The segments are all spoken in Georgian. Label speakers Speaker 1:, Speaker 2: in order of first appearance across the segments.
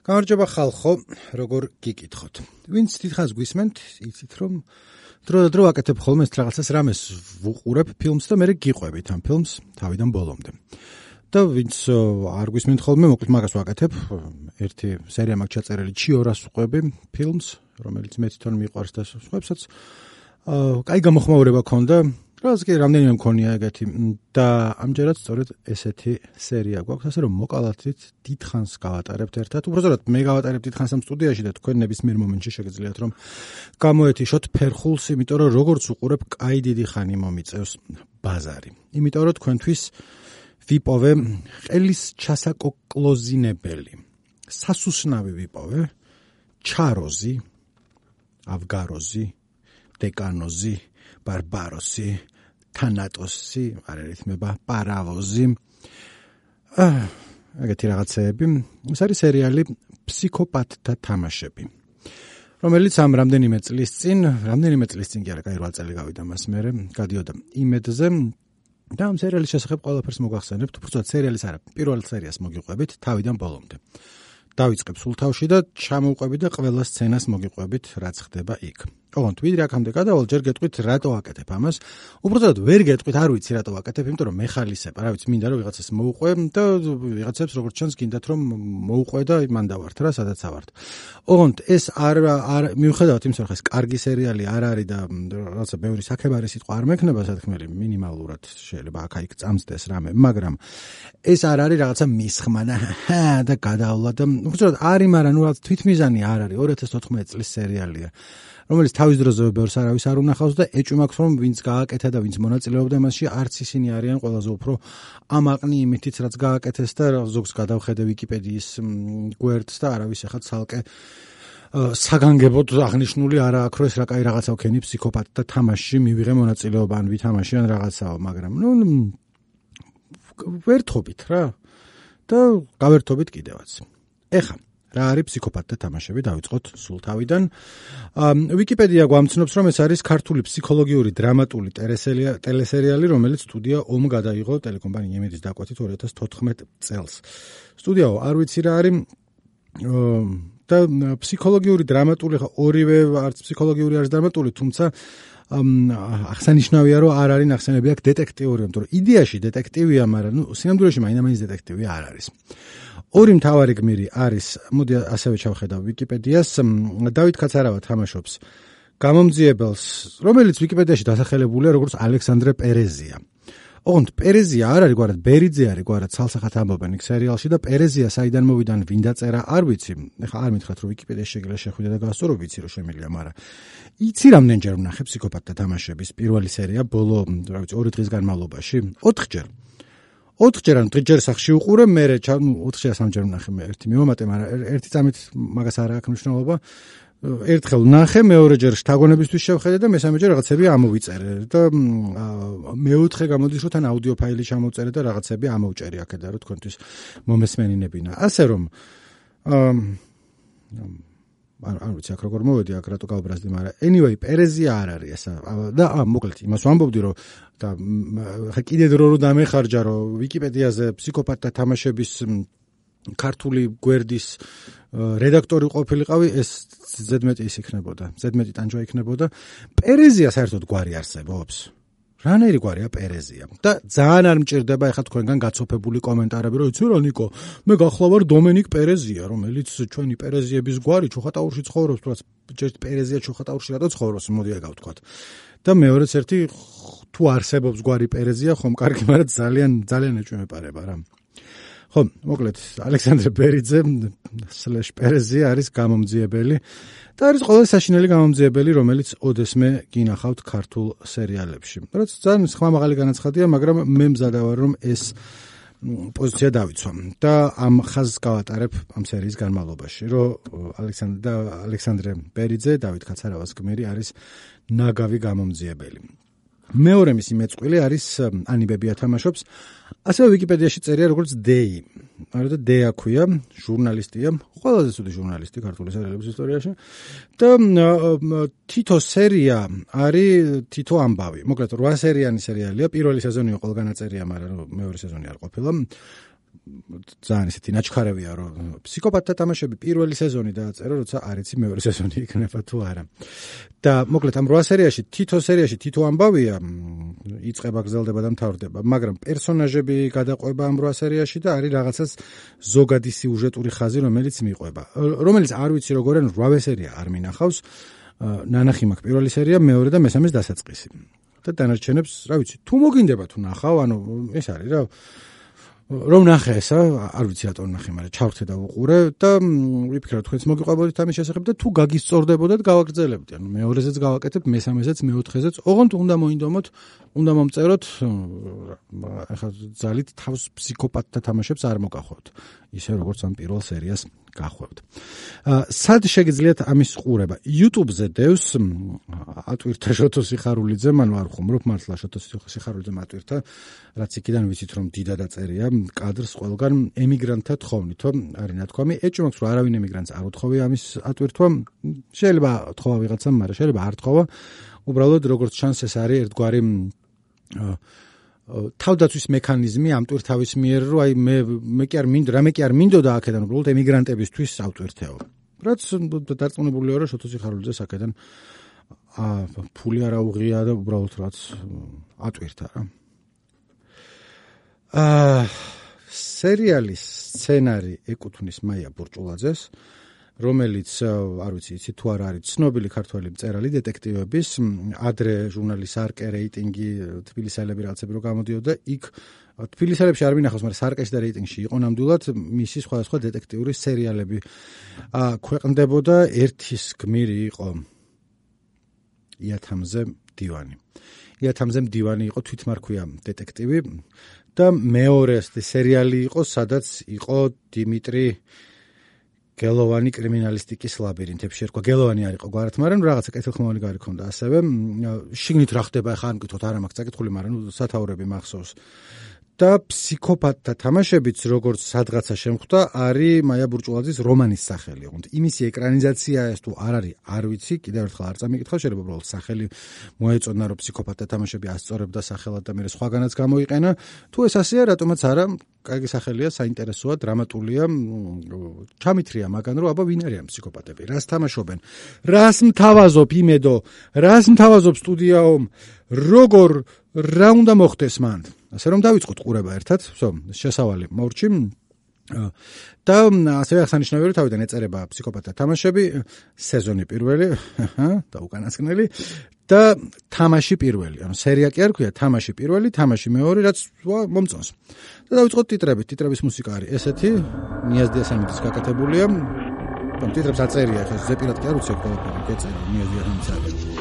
Speaker 1: გამარჯობა ხალხო, როგორ გიკითხოთ. ვინც დიდხანს გვისმენთ, იცით რომ დრო აკეთებ ხოლმე ეს რაღაცას რამეს ვუყურებ ფილმს და მე გიყვებით ამ ფილმს თავიდან ბოლომდე. და ვინც არ გვისმენთ ხოლმე, მოკლედ მაგას ვაკეთებ. ერთი სერია მაქვს ჩაწერილი ჩიორას ვყვები ფილმს, რომელიც მე თვითონ მიყვარს და სხვებსაც. კაი გამოხმაურება ქონდა. რაც კი რამდენიმე მქონია ეგეთი და ამჯერად სწორედ ესეთი სერია გვაქვს, ასე რომ მოკალათით დიდხანს გავატარებთ ერთად. უბრალოდ მე გავატარებ დიდხანს ამ სტუდიაში და თქვენ ნებისმიერ მომენტში შეგიძლიათ რომ გამოეთიშოთ ფერხულს, იმიტომ რომ როგორც უყურებ, კაი დიდი ხანი მომიწევს ბაზარი. იმიტომ რომ თქვენთვის ვიპოვე ყელის ჩასაკოკლოზინებელი, სასუსნავი ვიპოვე, ჩაროზი, ავგაროზი, დეკანოზი, ბარბაროსი, თანატოსი, არ ერითმება, პარავოზი. ეგეთი რაღაცეები. ეს არის სერიალი ფსიქოპათთა თამაშები. რომელიც ამ რამდენიმე წლის წინ კი არა, 8 წელი გავიდა მას მერე, გადიოდა იმედზე და ამ სერიალის შესახებ ყველაფერს მოგახსენებთ, უბრალოდ სერიალის არა, პირველ სერიას მოგიყვებით თავიდან ბოლომდე. დავიწყებ სულ თავში და ჩამოვყვებით და ყველა სცენას მოგიყვებით, რაც ხდება იქ. ოღონდ ვიდრე აქამდე გადავალ, ჯერ გეტყვით რატო აკეთებ ამას. უბრალოდ ვერ გეტყვით, არ ვიცი რატო აკეთებ, იმიტომ რომ მეხალისებ, რა ვიცი, მინდა რომ ვიღაცას მოუყვე და ვიღაცებს როგორც ჩანს გინდათ რომ მოუყვე და მან დავართ რა, სადაც ავართ. ოღონდ ეს არ მიუხედავად იმისა, რომ ეს კარგი სერიალი არ არის და რაღაცა ბევრი საქებარი სიტყვა არ მექნება სათქმელი, მინიმალურად შეიძლება აქ-იქ წამსდეს რამე, მაგრამ ეს არ არის რაღაცა მისხმანა და გადავლა და უბრალოდ არის, მაგრამ ნუ რაღაც თვითმიზანი არ არის, 2014 წლის სერიალია. რომელიც თავის დროზე ბევრს არავის არ უნახავს და ეჭვმაქვს რომ ვინც გააკეთა და ვინც მონაწილეობდა მასში არც ისინი არიან ყველაზე უფრო ამაყნი იმითიც რაც გააკეთეს და ზოგს გადავხედე ვიკიპედიის გვერდს და არავის ახლა ცალკე საგანგებოდ აღნიშნული არა აქვს რომ ეს რა კაი რაღაცა ვქენი ფსიქოპათთა თამაშში მივიღე მონაწილეობა ან ვითამაში ან რაღაცაო, მაგრამ ნუ ვერთობით რა და გავერთობით კიდევაც. ეხა რა არის ფსიქოპათთა თამაშები, დავიწყოთ სულ თავიდან. ვიკიპედია გვამცნობს, რომ ეს არის ქართული ფსიქოლოგიური დრამატული ტელესერიალი, რომელიც სტუდია ომ გადაიღო ტელეკომპანია იმედის დაკვეთით 2014 წელს. სტუდიაო, არ ვიცი რა არის და ფსიქოლოგიური დრამატული, ორივე არც ფსიქოლოგიური არც დრამატული, თუმცა აღსანიშნავია, რომ არ არის ნახსენები აქ დეტექტიური, იმიტომ რომ იდეაში დეტექტივია, მაგრამ ნუ სინამდვილეში მაინც დეტექტივი არ არის. ორი მთავარი გმირი არის, მოდი ასევე ჩავხედავ ვიკიპედიას, დავით კაცარავა თამაშობს გამომძიებელს, რომელიც ვიკიპედიაში დასახელებულია როგორც ალექსანდრე პერეზია. ოღონდ პერეზია არ არის გვარად, ბერიძე არის გვარად, ცალსახად ამბობენ იქ სერიალში და პერეზია საიდან მოვიდა, ვინ დაწერა, არ ვიცი. ეხლა არ მითხრათ, რომ ვიკიპედიაში შეგიძლია შეხვიდე და გაასწორო, ვიცი რომ შემიძლია, მაგრამ იცი რამდენჯერ ვნახე ფსიქოპათთა თამაშების პირველი სერია ბოლო, რა ვიცი, 2 დღის განმავლობაში, 4 ჯერ. 4 ჯერ ან დღეჯერ სახში უყურე, მე 4 ჯერ 3 ჯერ ვნახე მე ერთი მივამატე, მაგრამ ერთი წამით მაგას არ აქვს მნიშვნელობა. ერთხელ ვნახე, მეორე ჯერ შთაგონებისთვის შევხედე და მესამე ჯერ რაღაცები ამოვიწერე და მეოთხე გამოდის რომ თან აუდიო ფაილი ჩამოვწერე და რაღაცები ამოვჭერი აქედან რომ თქვენთვის მომესმენინებინა. ასე რომ არ ვიცი აქ როგორ მოვედი აქ რატო გავბრაზდი, მაგრამ anyway პერეზია არ არის ესა და მოკლედ იმას ვამბობდი რომ და ხა კიდე დრო რომ დამეხარჯა რომ ვიკიპედიაზე ფსიქოპათთა თამაშების ქართული გვერდის რედაქტორი ყოფილიყავი, ეს ზედმეტი ის იქნებოდა, ზედმეტი ტანჯვა იქნებოდა. პერეზია საერთოდ გვარი არსებობს. რანაირი გვარია პერეზია და ძალიან არ მჭირდება ეხლა თქვენგან გაცოფებული კომენტარები, რომ იცი რა ნიკო, მე გახლავარ დომენიკ პერეზია, რომელიც ჩვენი პერეზიების გვარი ჩუხატაურში ცხოვრობს, თუნდაც ჯერ პერეზია ჩუხატაურში რატო ცხოვრობს, მოდი ეგ გავთქვათ. და მეორეც ერთი თუ არსებობს გვარი პერეზია, ხომ კარგი, მაგრამ ძალიან ეჭვმეპარება რა. ხო, მოკლედ ალექსანდრე ბერიძე / პერეზია არის გამომძიებელი და არის ყველაზე საშინელი გამომძიებელი, რომელიც ოდესმე გინახავთ ქართულ სერიალებში. რაც ძალიან ხმამაღალი განაცხადია, მაგრამ მე მზადა ვარ, რომ ეს პოზიცია დავიცვა და ამ ხაზს გავატარებ ამ სერიის განმავლობაში, რომ ალექსანდრე ბერიძე, დავით კაცარავას გმირი არის ნაგავი გამომძიებელი. მეორე მისი მეწყვილი არის ანი ბებია თამაშობს. ასევე ვიკიპედიაში წერია როგორც დეი. არა და დეა ქვია, ჟურნალისტია, ყველაზე ცუდი ჟურნალისტი ქართული სერიალების ისტორიაში. და თითო სერია არის თითო ამბავი. მოკლედ 8 სერიანი სერიალია. პირველი სეზონი ყველგან აწერია, მაგრამ მეორე სეზონი არ ყოფილა. ძალიან ისეთი ნაჩქარევია, რომ ფსიქოპატთა თამაშები პირველი სეზონი დააწერა, როცა არ იცი მეორე სეზონი იქნება თუ არა. და მოკლედ ამ 8 სერიაში თითო ამბავია, იწყება, გრძელდება და მთავრდება, მაგრამ პერსონაჟები გადაყვება ამ 8 სერიაში და არის რაღაცას ზოგადი სიუჟეტური ხაზი, რომელიც მიყვება. რომელიც არ ვიცი როგორ ან 8 სერია არ მინახავს. ნანახი მაქვს პირველი სერია, მეორე და მესამეს დასაწყისი. და დანარჩენებს, რა ვიცი, თუ მოგინდება თუ ნახავ, ანუ ეს არის რა რომ ნახე ესა, არ ვიცი რატომ ნახე, მაგრამ ჩავრთე და უყურე და ვიფიქრე, თქვენც მოგიყვებოდით ამის შესახებ და თუ გაგისწორდებოდათ, გავაგრძელებდი. ანუ მეორეზეც გავაკეთებ, მესამეზეც, მეოთხეზეც, ოღონდ უნდა მოინდომოთ, უნდა მომწეროთ, ახლა ძალით თავს ფსიქოპატთა თამაშებს არ მოგახვევთ. ისე როგორც ამ პირველ სერიას გახვევთ. სად შეგიძლიათ ამის ყურება? YouTube-ზე დევს ატვირთა შოთო სიხარულიძე, მან არ ხუმრობ მართლა შოთო სიხარულიძე ატვირთა, რაც იქიდან ვიცით რომ დიდად აწერია კადრს ყველგან ემიგრანტთა თხოვნითო არის ნათქვამი. ეჭვი მაქვს რომ არავინ ემიგრანტს არ უთხოვია ამის ატვირთვა. შეიძლება თხოვა ვიღაცამ, მაგრამ შეიძლება არ თხოვა. უბრალოდ როგორც ჩანს ეს არის ერთგვარი თავდაცვის მექანიზმი ამ ტვირთავის მიერ, რომ აი მე კი არ მინდოდა აქედან უბრალოდ ემიგრანტებისთვის ავტვირთეო. რაც დარწმუნებულია რომ შოთო სიხარულიძეს აქედან ფული არ აუღია და უბრალოდ რაც ატვირთა რა. სერიალის სცენარი ეკუთვნის მაია ბურჭულაძეს, რომელიც არ ვიცი, იცით თუ არა არის ცნობილი ქართველი მწერალი დეტექტივების, ადრე ჟურნალის სარკე რეიტინგი თბილისელები რაღაცები რო გამოდიოდა, იქ თბილისელებში არ მინახავს, მაგრამ სარკეში და რეიტინგში იყო ნამდვილად მისი სხვადასხვა დეტექტიური სერიალები ქვეყნდებოდა. ერთის გმირი იყო იათამზე მდივანი. იათამზე მდივანი იყო თვითმარქვია დეტექტივი და მეორე სერიალი იყო, სადაც იყო დიმიტრი გელოვანი კრიმინალისტიკის ლაბირინთებში ერქვა. გელოვანი არ იყო გვარად, მაგრამ რაღაცა კეთილხმოვანი გარი ქონდა ასევე. შიგნით რა ხდება, ახლა არ მკითხოთ, არ მაქვს წაკითხული, მაგრამ სათაურები მახსოვს. და ფსიქოპატთა თამაშებიც როგორც სადღაცა შემხვდა, არის მაია ბურჭულაძის რომანის სახელი. იმისი ეკრანიზაცია ეს თუ არ არის, არ ვიცი, კიდევ ერთხელ არ წამიკითხავ, შეიძლება უბრალოდ სახელი მოეწონა, რომ ფსიქოპატთა თამაშები ასწორებდა სახელად და მერე სხვაგანაც გამოიყენა. თუ ეს ასეა, რატომაც არა, კარგი სახელია, საინტერესოა, დრამატულია, ჩამithრია მაგან, რომ აბა ვინ არიან ფსიქოპატები, რას თამაშობენ, რას მთავაზობ იმედო, რას მთავაზობ სტუდიაო, როგორ რა უნდა მოხდეს მან. ასე რომ დავიწყოთ ყურება ერთად, შესავალი მორჩი. და ასევე აღსანიშნავია, რომ თავიდან ეწერება ფსიქოპატთა თამაშები, სეზონი პირველი და უკანასკნელი და თამაში პირველი. ანუ სერია კი არ ქვია, თამაში პირველი, თამაში მეორე, რაც მომწონს. და დავიწყოთ ტიტრებით. ტიტრების მუსიკა არის ესეთი, ნიაზ დიასამიძის გაკეთებულია. ტიტრებს აწერია, ხა ზეპირად კი არ უცებ ყველაფერი, გეწერა ნიაზ დიასამიძის არის.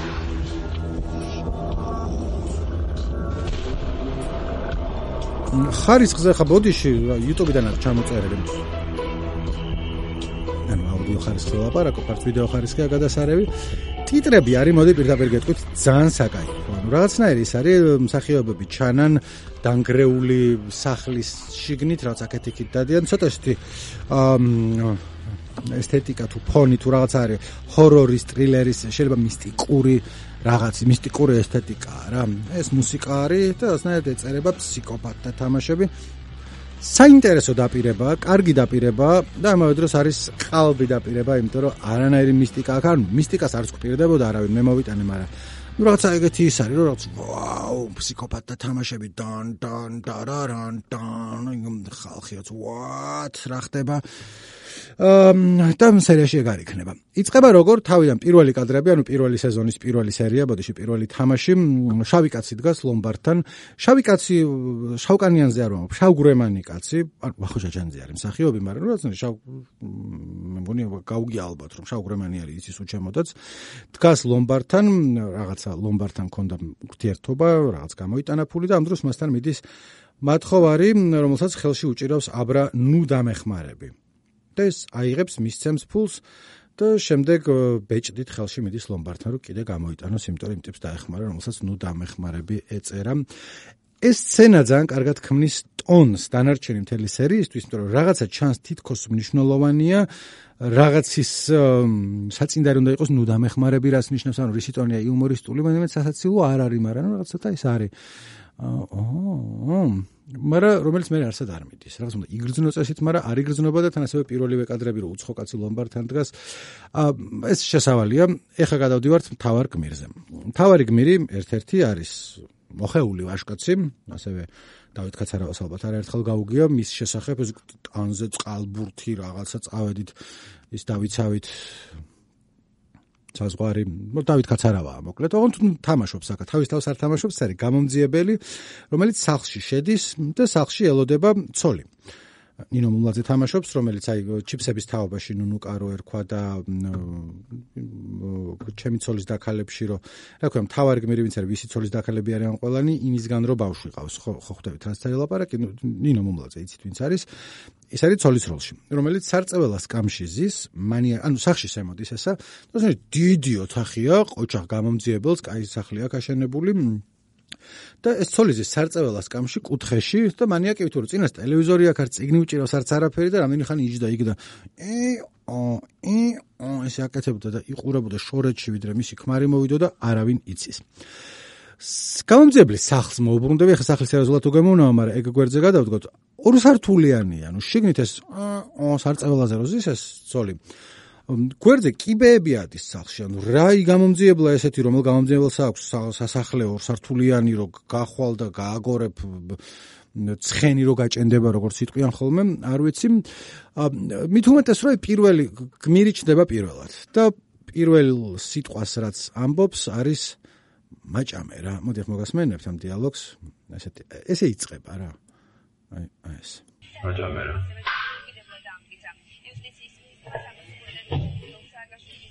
Speaker 1: ხარისხზე ხა ბოდიში YouTube-დან არის ჩამოწერილი. ანუ აუდიო ხარისხზე ლაპარაკობ, არც ვიდეო ხარისხია გადასარევი. ტიტრები არის, მოდი პირდაპირ გეტყვით, ძალიან საკაიფო. ანუ რაღაცნაირი ის არის, მსახიობები ჩანან დანგრეული სახლის შიგნით, რაც აქეთ-იქით დადიან, ცოტა ისეთი ესთეტიკა თუ ფონი თუ რაღაც არის, ჰორორის, ტრილერის, შეიძლება მისტიკური რაღაცი მისტიკური ესთეტიკაა რა. ეს მუსიკა არის და ასნაირად ეწერება ფსიქოპატთა თამაშები. საინტერესო დაპირებაა, კარგი დაპირებაა და ამავე დროს არის ყალბი დაპირება, იმიტომ რომ არანაირი მისტიკა აქ არ, მისტიკას არც გვპირდებოდა არავინ, მე მოვიტანე, მაგრამ ну რაღაცა ეგეთი ის არის, რომ რაღაც ვაუ, ფსიქოპატთა თამაშები დან დარარან დან ხალხიაც what რა ხდება და სერიაში ეგ არ იქნება. იწყება როგორ თავიდან პირველი კადრები, ანუ პირველი სეზონის პირველი სერია, ბოდიში პირველი თამაში, შავი კაცი დგას ლომბარდთან. შავი კაცი შავკანიანზე არ ვამბობ, შავგვრემანი კაცი, ვახუშა ჯანძე არის მსახიობი, მაგრამ რაღაცა მე მგონი გაუგია ალბათ, რომ შავგვრემანი არის იცის უჩემოდაც. დგას ლომბარდთან, რაღაცა ლომბარდთან ქონდა ურთიერთობა, რაღაც გამოიტანა ფული და ამ დროს მასთან მიდის მათხოვარი, რომელსაც ხელში უჭირავს აბრა ნუ დამეხმარები. და ეს აიღებს მისცემს ფულს და შემდეგ ბეჭდით ხელში მიდის ლომბარდთან, რომ კიდე გამოიტანოს, იმიტომ რომ იმ ტიპს დაეხმარა, რომელსაც ნუ დამეხმარები ეწერა. ეს სცენა ძალიან კარგად ქმნის ტონს დანარჩენი მთელი სერიისთვის, იმიტომ რომ რაღაცა ჩანს თითქოს მნიშვნელოვანია, რაღაცის საწინდარი უნდა იყოს ნუ დამეხმარები, რაც ნიშნავს, ანუ რისი ტონია იუმორისტული, მაგრამ სასაცილო არ არის, მაგრამ რაღაცა ის არის. მაგრამ რომელიც მე არსად არ მიდის. რაღაც უნდა იგრძნო წესით, მაგრამ არ იგრძნობა და თან ასევე პირველივე კადრები რო უცხო კაცი ლომბარდთან დგას. ეს შესავალია. ეხლა გადავდივართ მთავარ გმირზე. მთავარი გმირი ერთ-ერთი არის მოხეული ვაჟკაცი, ასევე დავით კაცარავას ალბათ არაერთხელ გაუგია მის შესახებ ეს ტანზე წყალბურთი რაღაცა წავედით ის დავიცავით საზღვარი, დავით კაცარავაა მოკლედ, ოღონდ თამაშობს აქ, თავის თავს არ თამაშობს, არის გამომძიებელი, რომელიც სახლში შედის და სახლში ელოდება ცოლი. ნინო მუმლაძე თამაშობს, რომელიც აი ჩიფსების თაობაში ნუნუკარო ერქვა და ჩემი ცოლის დაქალებში რომ რა ქვია, მთავარი გმირი ვინც არის, ვისი ცოლის დაქალები არიან ყველანი, იმისგან რომ ბავშვი ყავს, ხო ხვდებით რაც დაელაპარაკი, ნინო მუმლაძე იცით ვინც არის. ეს არის ცოლის როლში, რომელიც სარწეველას კამში ზის, ანუ სახლში შემოდის ესა, თორსა დიდი ოთახია, ყოჩახ გამომძიებელს, კაი სახლი აქვს აშენებული. და ეს ცოლიზის სარწეველას კამში კუთხეში და მანიაკი თუ რომ წინას ტელევიზორი აქ არ წიგნი უჭირავს არც არაფერი და რამდენი ხანი იჯდა იქ და ესე აკეთებდა და იყურებოდა შორეთში ვიდრე მისი ქმარი მოვიდო და არავინ იცის. გამომძიებლის სახლს მოუბრუნდები, ახლა სახლის ერაზულად უგემოვნაა, მაგრამ ეგ გვერდზე გადავდგოთ. ორი სართულიანი, ანუ შიგნით ეს სარწეველაზე რო ზის ეს ცოლი. გვერდზე კიბეები ადის სახლში, ანუ რა გამომძიებლა ესეთი, რომელ გამომძიებელს აქვს სასახლე ორსართულიანი, რო გახვალ და გააგორებ ცხენი რო გაჭენდება, როგორც იტყვიან ხოლმე, არ ვიცი. მით უმეტეს რომ პირველი გმირი ჩდება პირველად და პირველ სიტყვას რაც ამბობს არის მაჭამე რა. მოდი ახლა მოგასმენებთ ამ დიალოგს, ესე იწყება რა. აი ეს.
Speaker 2: მაჭამე რა.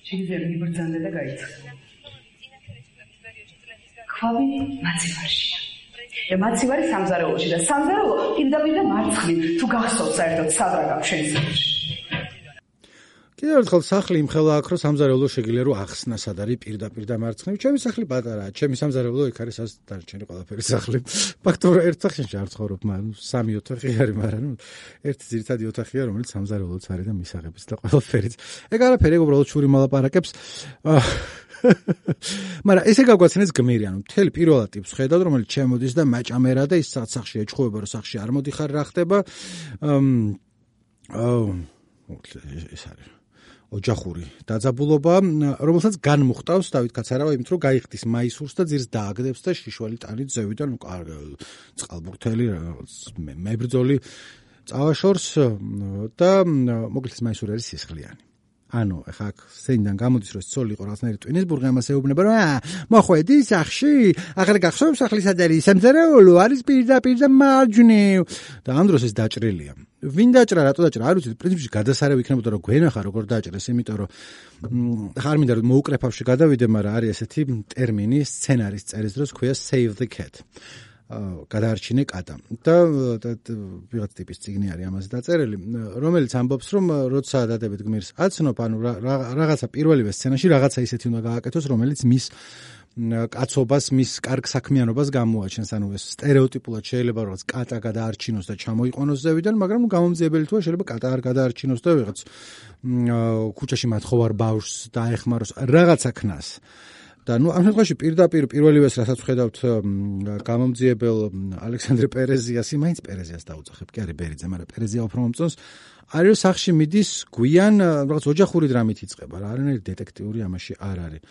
Speaker 3: შეიძლება იბრძანდა და გაიცა. ქვავი მაცივარშია. და მაცივარი სამზარეულოში და სამზარეულო პირდაპირ და მარცხნივ თუ გახსოვთ საერთოდ სადრაგავ შენსაში.
Speaker 1: კიდევ ერთხელ სახლი იმხელა აქ რომ სამზარეულო შეგიძლია რომ ახსნა სად არის პირდაპირ და მარცხნივ. ჩემი სახლი პატარაა, ჩემი სამზარეულო იქ არის ას დარჩენი ყველაფერი სახლი. ფაქტობრივად ერთ სახლში არ ცხოვრობ, მაგრამ სამი ოთახი არის, მაგრამ ერთი ძირითადი ოთახია, რომელიც სამზარეულოც არის და მისაღებიც და ყველაფერიც. ეგ არაფერი, ეგ უბრალოდ შური მალაპარაკებს. მაგრამ ესე გაგვაცნეს გმირი, ანუ მთელი პირველად ტიპს ხედავთ, რომელიც შემოდის და მაჭამერა და ის სახლში ეჩხუბება, რომ სახლში არ მოდიხარ, რა ხდება. ეს არის ოჯახური დაძაბულობა, რომელსაც განმუხტავს დავით კაცარავა იმით, რომ გაიხდის მაისურს და ძირს დააგდებს და შიშველი ტანით ზევიდან წყალბურთელი მებრძოლი წავაშორს და მოკლედ მაისური არის სისხლიანი. ანუ ახლა სცენიდან გამოდის რომ ცოლი იყო რაღაცნაირი ტვინის ბურღი ამას ეუბნება რომ მოხვედი სახში ახლა გახსოვს სახლის ადერი სამზარეულო არის პირდაპირ და მარჯვნივ და ამ დროს ეს დაჭრილია ვინ დაჭრა რატო დაჭრა არ ვიცი პრინციპში გადასარევი იქნებოდა რომ გვენახა როგორ დაჭრეს იმიტომ რომ ხარ მინდა რომ მოუკრეფავში გადავიდე მაგრამ არის ესეთი ტერმინი სცენარის წერის დროს ქვია save the cat გადაარჩინე კატა და ვიღაც ტიპის წიგნი არის ამაზე დაწერილი რომელიც ამბობს რომ როცა დადებით გმირს აცნობ ანუ რაღაცა პირველივე სცენაში რაღაცა ისეთი უნდა გააკეთოს რომელიც მის კაცობას მის კარგ საქმიანობას გამოაჩენს ანუ ეს სტერეოტიპულად შეიძლება რაღაც კატა გადაარჩინოს და ჩამოიყვანოს ზევიდან მაგრამ გამომძიებელი თუა შეიძლება კატა არ გადაარჩინოს და ვიღაც ქუჩაში მათხოვარ ბავშვს დაეხმაროს რაღაცა ქნას და ნუ ამ შემთხვევაში პირდაპირ პირველივეს რასაც ხედავთ გამომძიებელ ალექსანდრე პერეზიასი მაინც პერეზიას დაუძახებ კი არის ბერიძე მაგრამ პერეზია უფრო მომწონს არის სახში მიდის გვიან რაღაც ოჯახური დრამით იწყება რა არანაირი დეტექტიური ამაში არ არის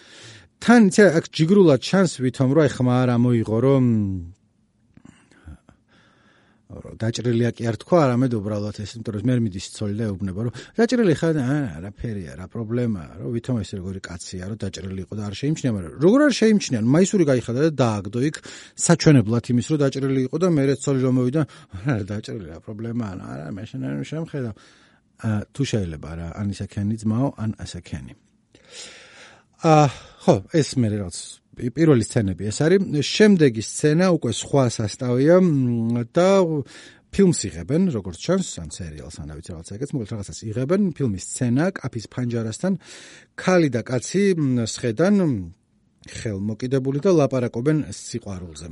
Speaker 1: თან აქ ჯიგრულად ჩანს ვითომ რომ აი ხმა არ ამოიღო რომ დაჭრილია კი არ თქვა არამედ უბრალოდ ეს იმიტომ რომ მე მიდის ცოლი და ეუბნება რომ დაჭრილი ხარ არაფერია რა პრობლემაა რომ ვითომ ეს როგორი კაცია რომ დაჭრილი იყო და არ შეიმჩნია მაგრამ როგორ არ შეიმჩნია მაისური გაიხადა და დააგდო იქ საჩვენებლად იმის რომ დაჭრილი იყო და მერე ცოლი რომ მოვიდა არა დაჭრილი რა პრობლემაა არა მე შემხედავ თუ შეიძლება რა ან ისაკენი ძმაო ან ასაკენი ხო ეს მე რაღაც პირველი სცენები ეს არის შემდეგი სცენა უკვე სხვა სასტავია და ფილმს იღებენ როგორც ჩანს ან სერიალს ან ვიცი რაღაცა ეგეც მოკლედ რაღაცას იღებენ ფილმის სცენა კაფის ფანჯარასთან ქალი და კაცი სხედან ხელმოკიდებული და ლაპარაკობენ სიყვარულზე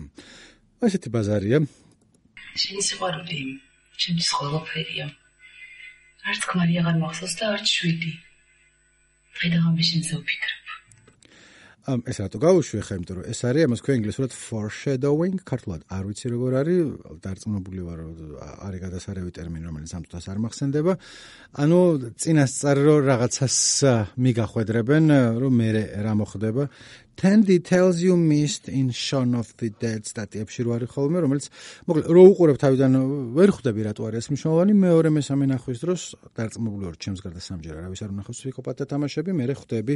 Speaker 1: ასეთი ბაზარია
Speaker 3: შენი სიყვარული ჩემთვის ყველაფერია არც ქმარი აღარ მახსოვს და არც შვიდი დღე და ღამე შენზე ვფიქრობ
Speaker 1: ეს რატო გავუშვი ხა, იმიტომ რომ ეს არის ამას ქვია ინგლისურად foreshadowing, ქართულად არ ვიცი როგორ არის, დარწმუნებული ვარ, არის გადასარევი ტერმინი, რომელიც ამ წუთას არ მახსენდება. ანუ წინასწარ რომ რაღაცას მიგახვედრებენ, რომ მე რა მოხდება. 10 details you missed in Shaun of the Dead სტატიებში რო არის ხოლმე, რომელიც მოკლედ რო უყურებ თავიდან ვერ ხვდები რატო არის მნიშვნელოვანი, მეორე მესამე ნახვის დროს დარწმუნებული ვარ, ჩემს გარდა სამჯერ არავის არ უნახავს ფსიქოპატთა თამაშები, მე ხვდები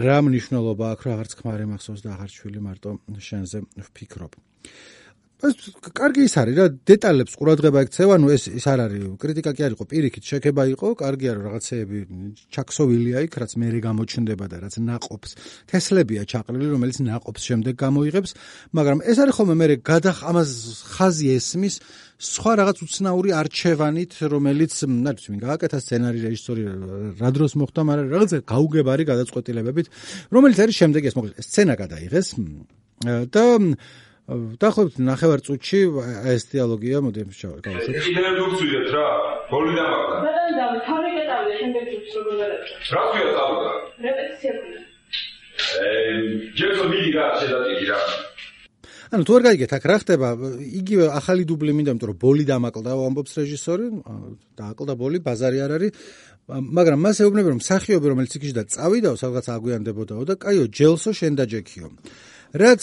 Speaker 1: რა მნიშვნელობა აქვს, რა აღარც ქმარი მახსოვს და აღარ ჩვილი მარტო შენზე ვფიქრობ. კარგი ის არის რა, დეტალებს ყურადღება ექცევა, ანუ ეს არ არის, კრიტიკა კი არ იყო, პირიქით შექება იყო, კარგია რომ რაღაცეები ჩაქსოვილია იქ, რაც მერე გამოჩნდება და რაც ნაყოფს, თესლებია ჩაყრილი, რომელიც ნაყოფს შემდეგ გამოიღებს, მაგრამ ეს არის ხოლმე მერე ამას ხაზი ესმის სხვა რაღაც უცნაური არჩევანით, რომელიც, არ ვიცი, ვინ გააკეთა სცენარი, რეჟისორი რა დროს მოხდა, მაგრამ რაღაცა გაუგებარი გადაწყვეტილებებით, რომელიც არის შემდეგ ეს, მოკლედ სცენა გადაიღეს და დაახლოებით 9 წუთში ეს დიალოგია, მოდი გავუშვით.
Speaker 2: კიდევ დურცვიდეთ რა, გოლი დამაგდა.
Speaker 4: გადავიდა, თავი გადავიდა, შემდეგ ჯგუფს როგორ გადავიდა.
Speaker 2: რა ქვია წავიდა?
Speaker 4: რეპეტიცია ქვია.
Speaker 2: ჯერსო მიდი რა შედატიდი რა.
Speaker 1: ანუ თუ არ გაიგეთ, აქ რა ხდება, იგივე ახალი დუბლი მინდა, იმიტომ რომ ბოლი დამაკლდა, ამბობს რეჟისორი, დააკლდა ბოლი, ბაზარი არ არის, მაგრამ მას ეუბნება, რომ მსახიობი, რომელიც იქში და წავიდაო, სადღაც აგვიანდებოდაო და კაიო, ჯელსო შენ და ჯექიო. რაც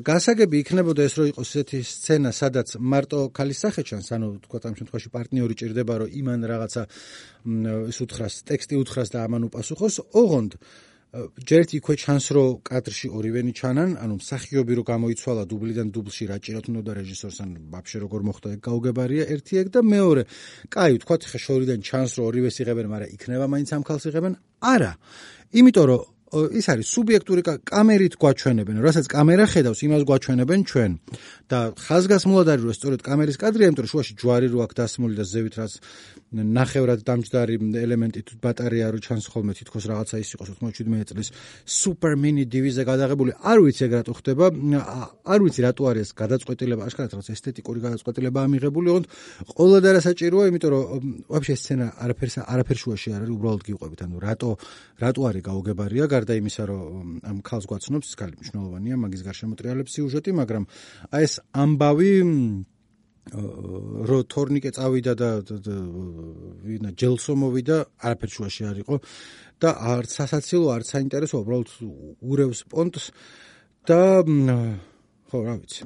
Speaker 1: გასაგები იქნებოდა ეს რომ იყოს ესეთი სცენა, სადაც მარტო ქალის სახე ჩანს, ანუ თქვა ამ შემთხვევაში პარტნიორი ჭირდება, რომ იმან რაღაცა ის უთხრას, ტექსტი უთხრას და ამან უპასუხოს, ოღონდ ჯერ იქვე ჩანს, რომ კადრში ორივენი ჩანან, ანუ მსახიობი რო გამოიცვალა დუბლიდან დუბლში რა ჭირათ უნდა რეჟისორს, ან ვაფშე როგორ მოხდა ეგ გაუგებარია ერთი ეგ და მეორე, კაი, თქვა ხე შორიდან ჩანს, რომ ორივეს იღებენ, მაგრამ იქნება მაინც ამ ქალს იღებენ? არა. იმიტომ რომ ის არის სუბიექტური კამერით გვაჩვენებენ, რასაც კამერა ხედავს, იმას გვაჩვენებენ ჩვენ. და ხაზგასმულად არის, რომ სწორედ კამერის კადრია, იმიტომ რომ შუაში ჯვარი რო აქვს დასმული და ზევით რაც ნახევრად დამჯდარი ელემენტი თუ ბატარეა რო ჩანს ხოლმე თითქოს რაღაცა ის იყოს 97 წლის სუპერ მინი დივიზე გადაღებული, არ ვიცი ეგ რატო ხდება, არ ვიცი რატო არის გადაწყვეტილება, აშკარად რაღაც ესთეტიკური გადაწყვეტილება ამიღებული, ოღონდ ყველა და საჭიროა, იმიტომ რომ ვაფშე სცენა არაფერ შუაში არ არის, უბრალოდ გიყვებით, ანუ რატო არის გაუგებარია, გარდა იმისა, რომ ამ ქალს გვაცნობს, ის ქალი მნიშვნელოვანია, მაგის გარშემო ტრიალებს სიუჟეტი, მაგრამ აი ეს ამბავი რო თორნიკე წავიდა და ვინა ჯელსო მოვიდა, არაფერ შუაში არ იყო და არც სასაცილო, არც საინტერესო, უბრალოდ ურევს პონტს და ხო, რა ვიცი.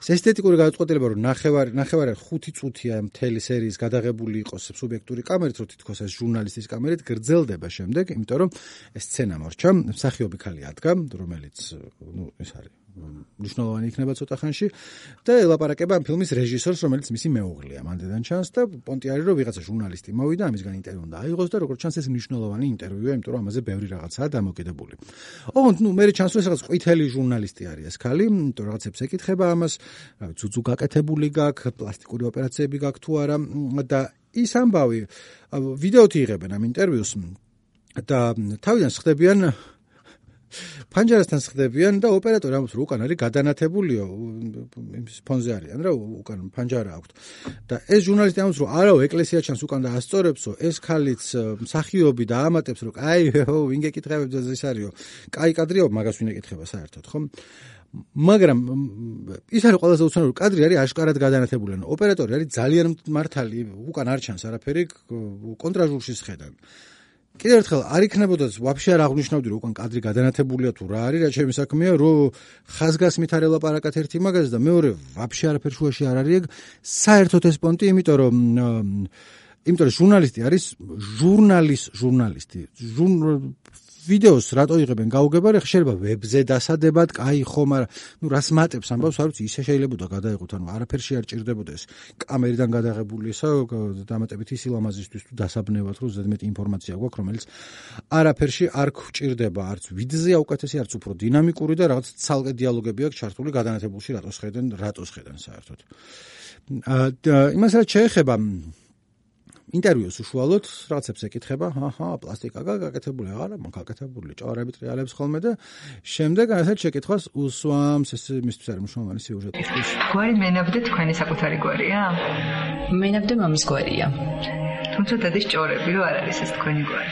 Speaker 1: ეს ესთეტიკური გადაწყვეტილება, რომ ნახევარი 5 წუთია მთელი სერიის გადაღებული იყოს სუბიექტური კამერით, რომ თითქოს ეს ჟურნალისტის კამერით გრძელდება შემდეგ, იმიტომ რომ ეს სცენა მორჩა, მსახიობი ქალი ადგა, რომელიც, ეს არის მნიშვნელოვანი იქნება ცოტა ხანში და ელაპარაკება ამ ფილმის რეჟისორს, რომელიც მისი მეუღლეა, მანდედან ჩანს და პონტი არის, რომ ვიღაცა ჟურნალისტი მოვიდა, ამისგან ინტერვიუ უნდა აიღოს და როგორც ჩანს ეს მნიშვნელოვანი ინტერვიუა, იმიტომ რომ ამაზე ბევრი რაღაცაა დამოკიდებული. ოღონდ, მე ჩანს, რომ ეს რაღაც ყვითელი ჟურნალისტი არის ეს ქალი, იმიტომ რომ რაღაცებს ეკითხება ამას, რა ვიცი, ძუძუ გაკეთებული გაქვს, პლასტიკური ოპერაციები გაქვს თუ არა და ის ამბავი ვიდეოთი იღებენ ამ ინტერვიუს და თავიდან ხდებიან ფანჯარასთან ხდებიან და ოპერატორი ამბობს, რომ უკან არის გადანათებულიო, იმის ფონზე არიან რა, უკან ფანჯარა აქვს. და ეს ჟურნალისტი ამბობს, რომ არაო, ეკლესია ჩანს უკან და ასწორებსო, ეს ქალიც მსახიობი და ამატებს, რომ აი, ვინ გეკითხებებს ეს არისო, კაი კადრიო, მაგას ვინ ეკითხება საერთოდ, ხო? მაგრამ ის არის ყველაზე უცნაური კადრი არის აშკარად გადანათებული, ანუ ოპერატორი არის ძალიან მართალი, უკან არ ჩანს არაფერი, კონტრაჟურში შედან. კიდევ ერთხელ არ იქნებოდა ვაფშე არ აღნიშნავდი, რომ უკან კადრი გადანათებულია თუ რა არის, რა ჩემი საქმეა, რომ ხაზგასმით არ ელაპარაკათ ერთი მაგაზე და მეორე ვაფშე არაფერ შუაში არ არის ეგ საერთოდ ეს პონტი, იმიტომ რომ ჟურნალისტი არის ჟურნალისტი. ვიდეოს რატო იღებენ გაუგებარი, შეიძლება ვებზე დასადებად, კაი ხო, მაგრამ რას მატებს ამბავს, არ ვიცი, ისე შეიძლებოდა გადაიღოთ, ანუ არაფერში არ ჭირდებოდა ეს კამერიდან გადაღებული ესა დამატებით ის ილამაზისთვის თუ დასაბნევად, რომ ზედმეტი ინფორმაცია გვაქვს, რომელიც არაფერში არ გვჭირდება, არც ვიდეოზე აუკეთესი, არც უფრო დინამიკური და რაღაც ცალკე დიალოგები აქვს ჩართული გადანათებულში, რატოს ხედენ საერთოდ. იმას რაც შეეხება ინტერვიუს უშუალოდ რაღაცებს ეკითხება, პლასტიკა გაკეთებული, აღარა მოგაკეთებული, ჭორები ტრიალებს ხოლმე და შემდეგ ასეთ შეკითხვას უსვამს, ეს მისთვის არის მნიშვნელოვანი სიუჟეტისთვის.
Speaker 5: გვარი მენაბდე თქვენი საკუთარი გვარია?
Speaker 6: მენაბდე მამის გვარია.
Speaker 5: თუმცა დადის ჭორები, რომ არ არის ეს თქვენი გვარი.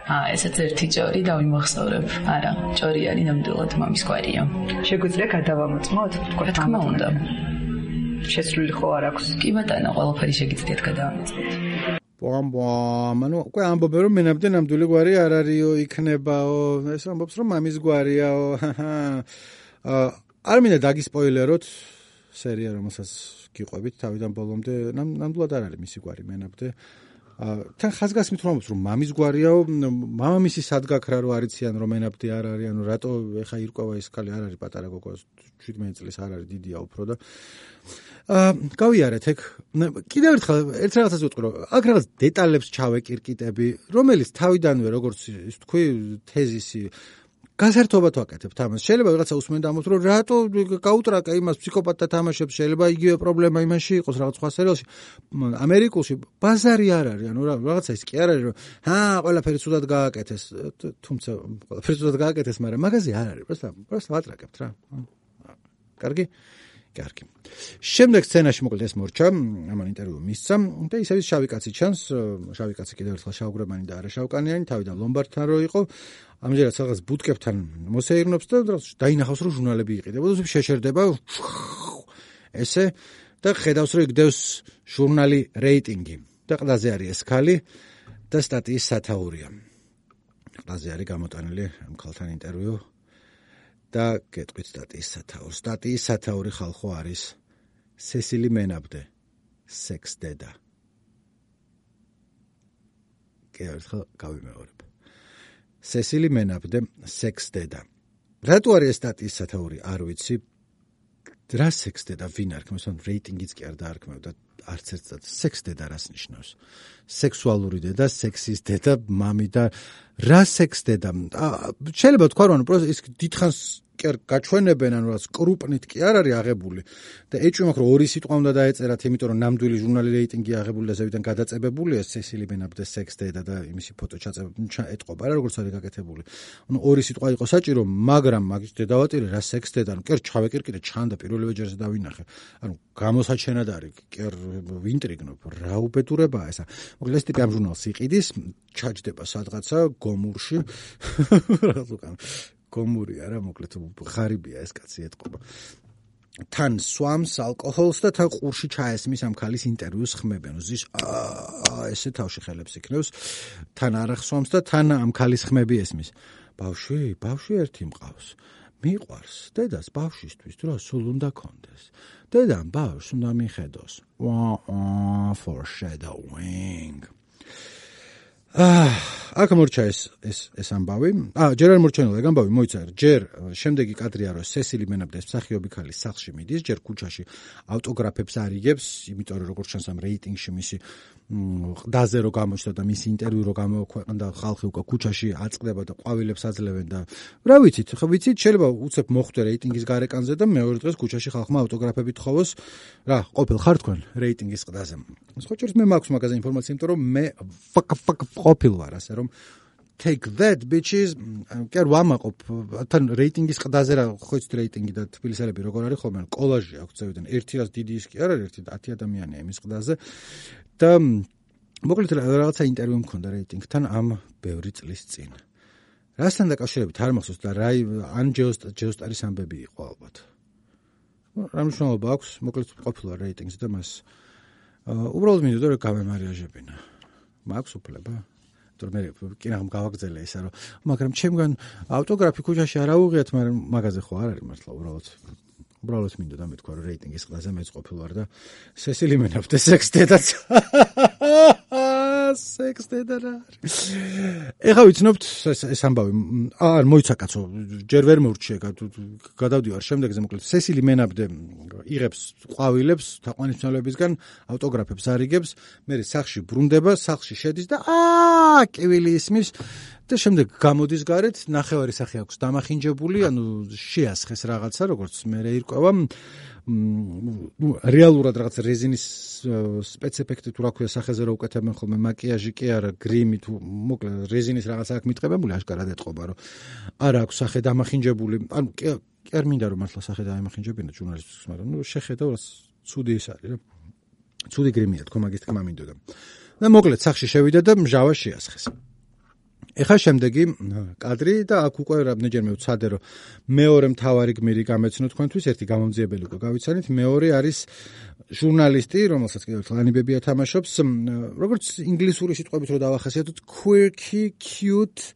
Speaker 6: ესეც ერთი ჭორი დავიმახსოვრებ. არა, ჭორი არის ნამდვილად მამის გვარია.
Speaker 5: შეგვიძლია გადავამოწმოთ?
Speaker 6: რა თქმა უნდა.
Speaker 5: შესრულილი ხო არ აქვს?
Speaker 6: კი ბატონო, ყველაფერი შეგიძლიათ გადავამოწმოთ.
Speaker 1: ანუ უკვე ამბობენ რომ მენაბდე ნამდვილი გვარი არ არისო, იქნებაო, ეს ამბობს რომ მამის გვარიაო. არ მინდა დაგისპოილეროთ სერია, რომელსაც გიყვებით თავიდან ბოლომდე, ნამდვილად არ არის მისი გვარი მენაბდე. თან ხაზგასმით რომ ამბობს რომ მამის გვარიაო, მამამისი სადგაქრა რო არიციან რომ მენაბდე არ არის, ანუ რატო ეხა ირკვევა ეს ქალი, არ არის პატარა გოგო, 17 წლის არ არის, დიდია უფრო და გავიარეთ ეგ. კიდევ ერთხელ ერთ რაღაცას ვიტყვი რომ აქ რაღაც დეტალებს ჩავეკირკიტები, რომელიც თავიდანვე როგორც ის თქვი თეზისი გასართობად ვაკეთებთ ამას. შეიძლება რაღაცა უსმენდა ამბობთ რომ რატო გაუტრაკა იმას ფსიქოპატთა თამაშებს, შეიძლება იგივე პრობლემა იმაში იყოს რაღაც სხვა სერიალში. ამერიკულში ბაზარი არ არის, ანუ რაღაცა ის კი არ არის რომ ყველაფერი ცუდად გააკეთეს, თუმცა ყველაფერი ცუდად გააკეთეს, მაგრამ მაგაზე არ არის, პროსტა ვატრაკებთ რა. კარგი? კარგი. შემდეგ სცენაში მოკლედ ეს მორჩა, ამან ინტერვიუ მისცა და ისევ შავი კაცი ჩანს, შავი კაცი კიდევ ერთხელ შავგრებანი და არა შავკანიანი, თავიდან ლომბარდთან რო იყო, ამჯერად რაღაც ბუტკებთან მოსეირნობს და დაინახავს რომ ჟურნალები იყიდებოდა, შეშერდება ესე და ხედავს რომ იგდევს ჟურნალი რეიტინგი და ყდაზე არის ეს ქალი და სტატიის სათაურია. ყდაზე არის გამოტანილი ამ ქალთან ინტერვიუ და გეტყვით სტატიის სათაურს. სტატიის სათაური ხალხო არის სესილი მენაბდე, სექს დედა. ერთხელ გავიმეორებ. სესილი მენაბდე, სექს დედა. რატო არის ეს სტატიის სათაური? არ ვიცი. რა სექს დედა ვინ არქმევს, ან რეიტინგიც კი არ დაარქმევდა არც ერთად. სექს დედა რას ნიშნავს? სექსუალური დედა, სექსის დედა, მამი და რა სექს დედა? შეიძლება თქვა რომ ის დიდხანს გაჩვენებენ, ანუ რაც კრუპნით კი არ არის აღებული და ეჭვი მაქვს რომ ორი სიტყვა უნდა დაეწერათ, იმიტომ რომ ნამდვილი ჟურნალი რეიტინგი აღებული და ზევიდან გადაწებებულია სესილი მენაბდეს სექს დედა და იმისი ფოტო ეტყობა რა როგორც არის გაკეთებული. ანუ ორი სიტყვა იყო საჭირო, მაგრამ მაგის დედავატირი რა სექს დედა, ანუ კერ ჩავეკირკიტე ჩანდა პირველივე ჯერზე დავინახე. ანუ გამოსაჩენად არის, კერ ვინტრიგნობ, რა უბედურებაა ესა. მოკლედ ეს ტიპი ამ ჟურნალს იყიდის, ჩაჯდება სადღაცა გომურში. რაღაც უკან გომური არა, მოკლედ ღარიბია ეს კაცი ეტყობა. თან სვამს ალკოჰოლს და თან ყურში ჩაესმის ამ ქალის ინტერვიუს ხმებენ. ზის ესე თავში ხელებს იქნევს, თან არ ახსვამს და თან ამ ქალის ხმები ესმის. ბავშვი ერთი მყავს. მიყვარს დედას ბავშვისთვის დრო სულ უნდა კონდეს. დედამ ბავშვს უნდა მიხედოს. Foreshadowing. აქ მორჩა ეს ამბავი. ჯერ არ მორჩენილა ეგ ამბავი, მოიცა. ჯერ შემდეგი კადრია რომ სესილი მენაბდეს მსახიობი ქალი სახლში მიდის, ჯერ ქუჩაში ავტოგრაფებს არიგებს, იმიტომ რომ როგორც ჩანს ამ რეიტინგში მისი ყდაზე რო გამოჩნდა და მისი ინტერვიუ რო გამოქვეყნდა, ხალხი უკვე ქუჩაში აწყდება და ყვავილებს აძლევენ და რა ვიცით, შეიძლება უცებ მოხვდე რეიტინგის გარეკანზე და მეორე დღეს ქუჩაში ხალხმა ავტოგრაფები თხოვოს. რა, ყოფილ ხარ თქვენ რეიტინგის ყდაზე? ხოჭერს მე მაქვს მაგაზე ინფორმაცია, იმიტომ რომ მე ყოფილ ვარ, ასე რომ take that bitches, კი არ ვამაყობ, თან რეიტინგის ყდაზე რა, ხო იცით რეიტინგი და თბილისელები როგორ არის ხოლმე, კოლაჟი აქვს წევიდან, 100 დიდი ის კი არ არის, 10 ადამიანია იმის ყდაზე და მოკლედ რაღაცა ინტერვიუ მქონდა რეიტინგთან ამ ბევრი წლის წინ. რასთან დაკავშირებით არ მახსოვს და რა ან ჯეოსტარის ამბები იყო ალბათ. რა მნიშვნელობა აქვს, მოკლედ ყოფილა რეიტინგზე და მას უბრალოდ მინდოდა რომ გამემარიაჟებინა. მაქვს უფლება? თორემ მე კინაღამ გავაგზელე ისა რომ მაგრამ ჩემგან ავტოგრაფი ქუჩაში არ აუღიათ, მაგრამ მაგაზე ხო არ არის მართლა უბრალოდ მინდოდა მეთქვა რომ რეიტინგის ყდაზე მეც ყოფილ ვარ და სესილი მენაბდეს სექს დედაც სექს დედა რა არის. ეხლა ვიცნობთ ეს ამბავი. არ მოიცა კაცო, ჯერ ვერ მორჩიე, გადავდივარ შემდეგზე მოკლედ. სესილი მენაბდე იღებს ყვავილებს თაყვანისმცემლებისგან, ავტოგრაფებს არიგებს, მერე სახლში ბრუნდება, სახლში შედის და კივილი ისმის და შემდეგ გამოდის გარეთ, ნახევარი სახე აქვს დამახინჯებული, ანუ შეასხეს რაღაცა, როგორც მერე ირკვევა. რეალურად რაღაც რეზინის სპეცეფექტი თუ რა ქვია სახეზე რო უკეთებენ ხოლმე, მაკიაჟი კი არა, გრიმი თუ მოკლედ რეზინის რაღაცა აქვს მიტყებებული, აშკარად ეტყობა რომ არ აქვს სახე დამახინჯებული. ანუ კი არ მინდა რომ მართლა სახე დამახინჯებინა ჟურნალისტებს, მაგრამ შეხედავ რა ცუდი ის არის რა. ცუდი გრიმია თქო, მაგის თქმა მინდოდა. და მოკლედ სახლში შევიდა და მჟავა შეასხეს. ეხა შემდეგი კადრი და აქ უკვე რამდენჯერმე ვცადე რომ მეორე მთავარი გმირი გამეცნო თქვენთვის, ერთი გამომძიებელი უკვე გავიცანით, მეორე არის ჟურნალისტი, რომელსაც კიდევ ერთხელ ანიბებია თამაშობს, როგორც ინგლისური სიტყვებით რო დავახასიათოთ, quirky, cute,